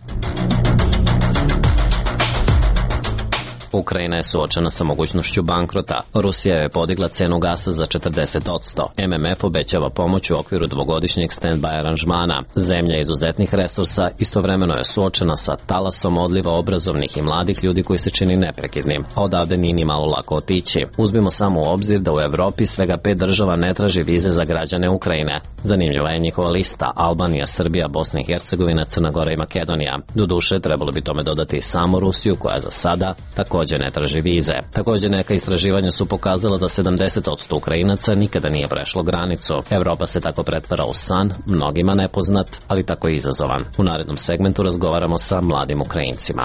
Ukrajina je suočena sa mogućnošću bankrota. Rusija je podigla cenu gasa za 40%. MMF obećava pomoć u okviru dvogodišnjeg stand-by aranžmana. Zemlja izuzetnih resursa istovremeno je suočena sa talasom odliva obrazovnih i mladih ljudi koji se čini neprekidnim, a odavde nije ni malo lako otići. Uzmimo samo u obzir da u Evropi svega 5 država ne traži vize za građane Ukrajine. Zanimljiva je njihova lista: Albanija, Srbija, Bosna i Hercegovina, Crna Gora i Makedonija. Doduše, trebalo bi tome dodati i samo Rusiju, koja za sada takođe ne traži vize. Takođe, neka istraživanja su pokazala da 70% Ukrajinaca nikada nije prešlo granicu. Evropa se tako pretvara u san, mnogima nepoznat, ali tako i izazovan. U narednom segmentu razgovaramo sa mladim Ukrajincima.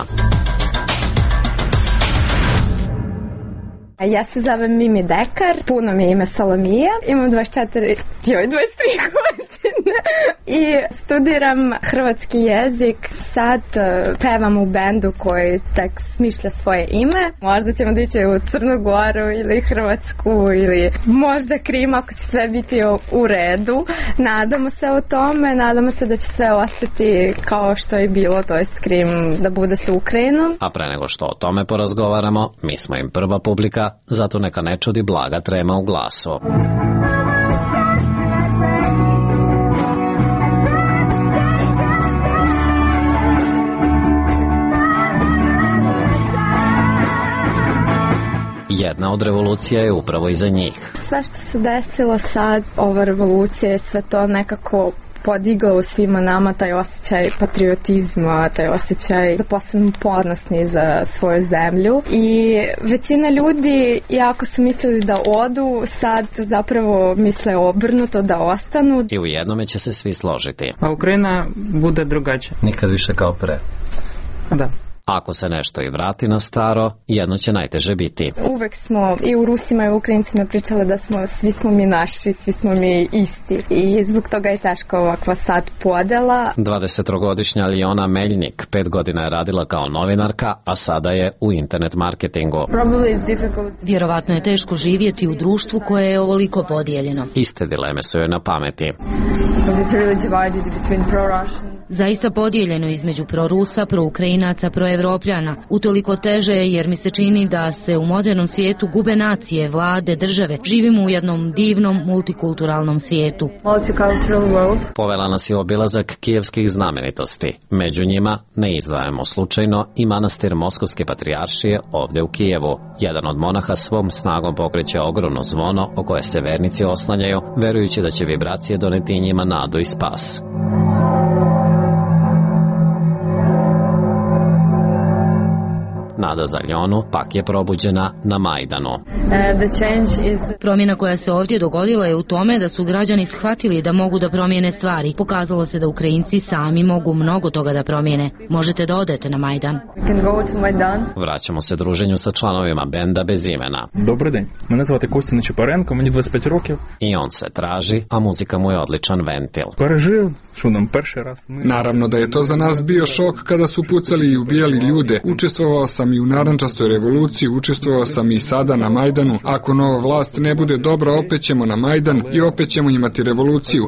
Ja se zovem Mimi Dekar, puno mi je ime Salomija, imam 23 godine i studiram hrvatski jezik. Sad pevam u bendu koji tek smišlja svoje ime. Možda ćemo da ići u Crnu Goru ili Hrvatsku ili možda Krim, ako će sve biti u redu. Nadamo se o tome, nadamo se da će sve ostati kao što je bilo, to jest Krim da bude sa Ukrajinom. A pre nego što o tome porazgovaramo, mi smo im prva publika, zato neka ne čudi blaga trema u glasu. Jedna od revolucija je upravo iza njih. Sve što se desilo sad, ova revolucija je sve to nekako podigla u svima nama taj osjećaj patriotizma, taj osjećaj da postanemo ponosni za svoju zemlju. I većina ljudi, iako su mislili da odu, sad zapravo misle obrnuto, da ostanu. I u jednome će se svi složiti. A Ukrajina bude drugačija. Nikad više kao pre. Da. Ako se nešto i vrati na staro, jedno će najteže biti. Uvek smo i u Rusima i u Ukrajincima pričali da svi smo mi naši, svi smo mi isti. I zbog toga je teško ovakva sad podela. 23-godišnja Alijona Meljnik 5 godina je radila kao novinarka, a sada je u internet marketingu. Vjerovatno je teško živjeti u društvu koje je ovoliko podijeljeno. Iste dileme su joj na pameti. Zaista podijeljeno između prorusa, proukrajinaca, proevropljana. Utoliko teže je jer mi se čini da se u modernom svijetu gube nacije, vlade, države. Živimo u jednom divnom multikulturalnom svijetu. Povela nas je obilazak kijevskih znamenitosti. Među njima, ne izdvajamo slučajno, i manastir Moskovske patrijaršije ovde u Kijevu. Jedan od monaha svom snagom pokreće ogromno zvono o koje se vernici oslanjaju, verujući da će vibracije doneti njima nadu i spas. Nada za Aljonu pak je probuđena na Majdanu. Promjena koja se ovdje dogodila je u tome da su građani shvatili da mogu da promijene stvari. Pokazalo se da Ukrajinci sami mogu mnogo toga da promijene. Možete da odete na Majdan. Vraćamo se druženju sa članovima benda bez imena. Добрий день. Мене звати Костя Нечипаренко, мені 25 років. I on se traži, a muzika mu je odličan ventil. Пережив, що нам перший раз. Naravno da je to za nas bio šok kada su pucali i ubijali ljude. Učestvovao sam i u narandžastoj revoluciji, učestvovao sam i sada na Majdanu. Ako nova vlast ne bude dobra, opet ćemo na Majdan i opet ćemo imati revoluciju.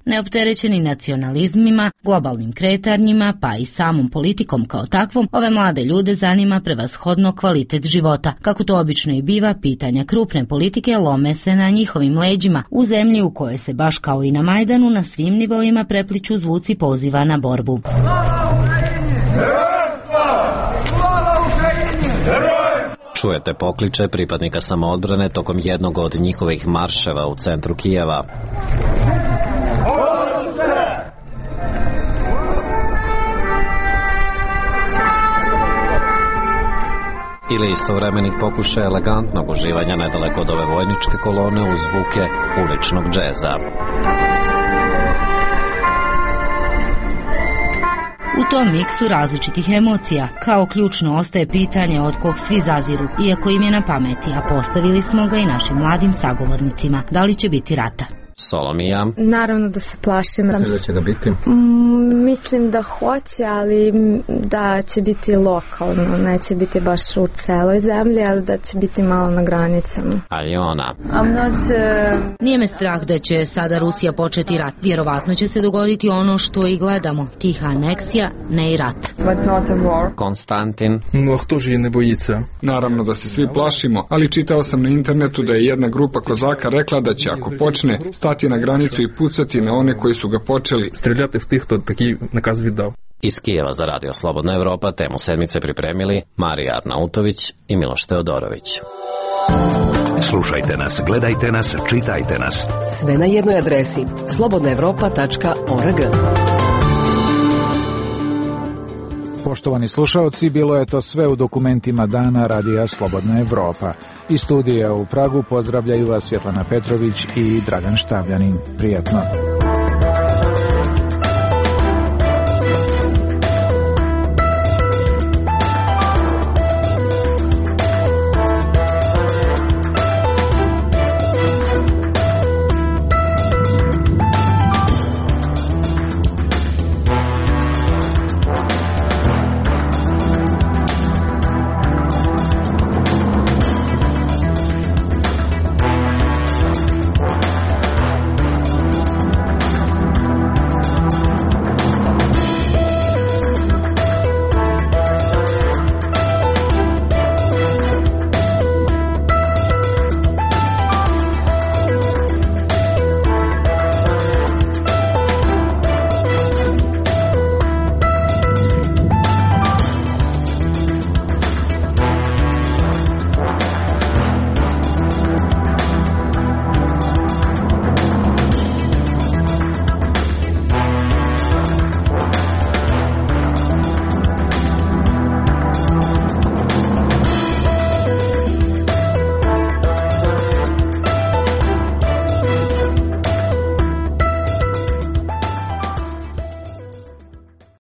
Neopterećeni nacionalizmima, globalnim kretanjima, pa i samom politikom kao takvom, ove mlade ljude zanima prevashodno kvalitet života. Kako to obično i biva, pitanja krupne politike lome se na njihovim leđima, u zemlji u kojoj se baš kao i na Majdanu na svim nivoima prepliču zvuci poziva na borbu. Čujete pokliče pripadnika samoodbrane tokom jednog od njihovih marševa u centru Kijeva. Ili istovremenih pokušaja elegantnog uživanja nedaleko od ove vojničke kolone uz zvuke uličnog džeza. U tom miksu različitih emocija, kao ključno ostaje pitanje od kog svi zaziru, iako im je na pameti, a postavili smo ga i našim mladim sagovornicima. Da li će biti rata? Solomija. Naravno da se plašim. Mislim da će da biti? Mislim da hoće, ali da će biti lokalno, neće biti baš u celoj zemlji, ali da će biti malo na granicama. Aljona. Nije me strah da će sada Rusija početi rat. Vjerovatno će se dogoditi ono što i gledamo, tiha aneksija, ne i rat. Konstantin. No, kto же ne bojica? Naravno da se svi plašimo, ali čitao sam na internetu da je jedna grupa kozaka rekla da će, ako počne, stati na granicu i pucati na one koji su ga počeli. Streljati v tih, to taki nakaz vidao. Iz Kijeva za Radio Slobodna Evropa temu sedmice pripremili Marija Arnautović i Miloš Teodorović. Slušajte nas, gledajte nas, čitajte nas. Sve na jednoj adresi slobodnaevropa.org. Poštovani slušaoci, bilo je to sve u dokumentima dana Radija Slobodna Evropa. Iz studija u Pragu pozdravljaju vas Svjetlana Petrović i Dragan Štavljanin. Prijatno.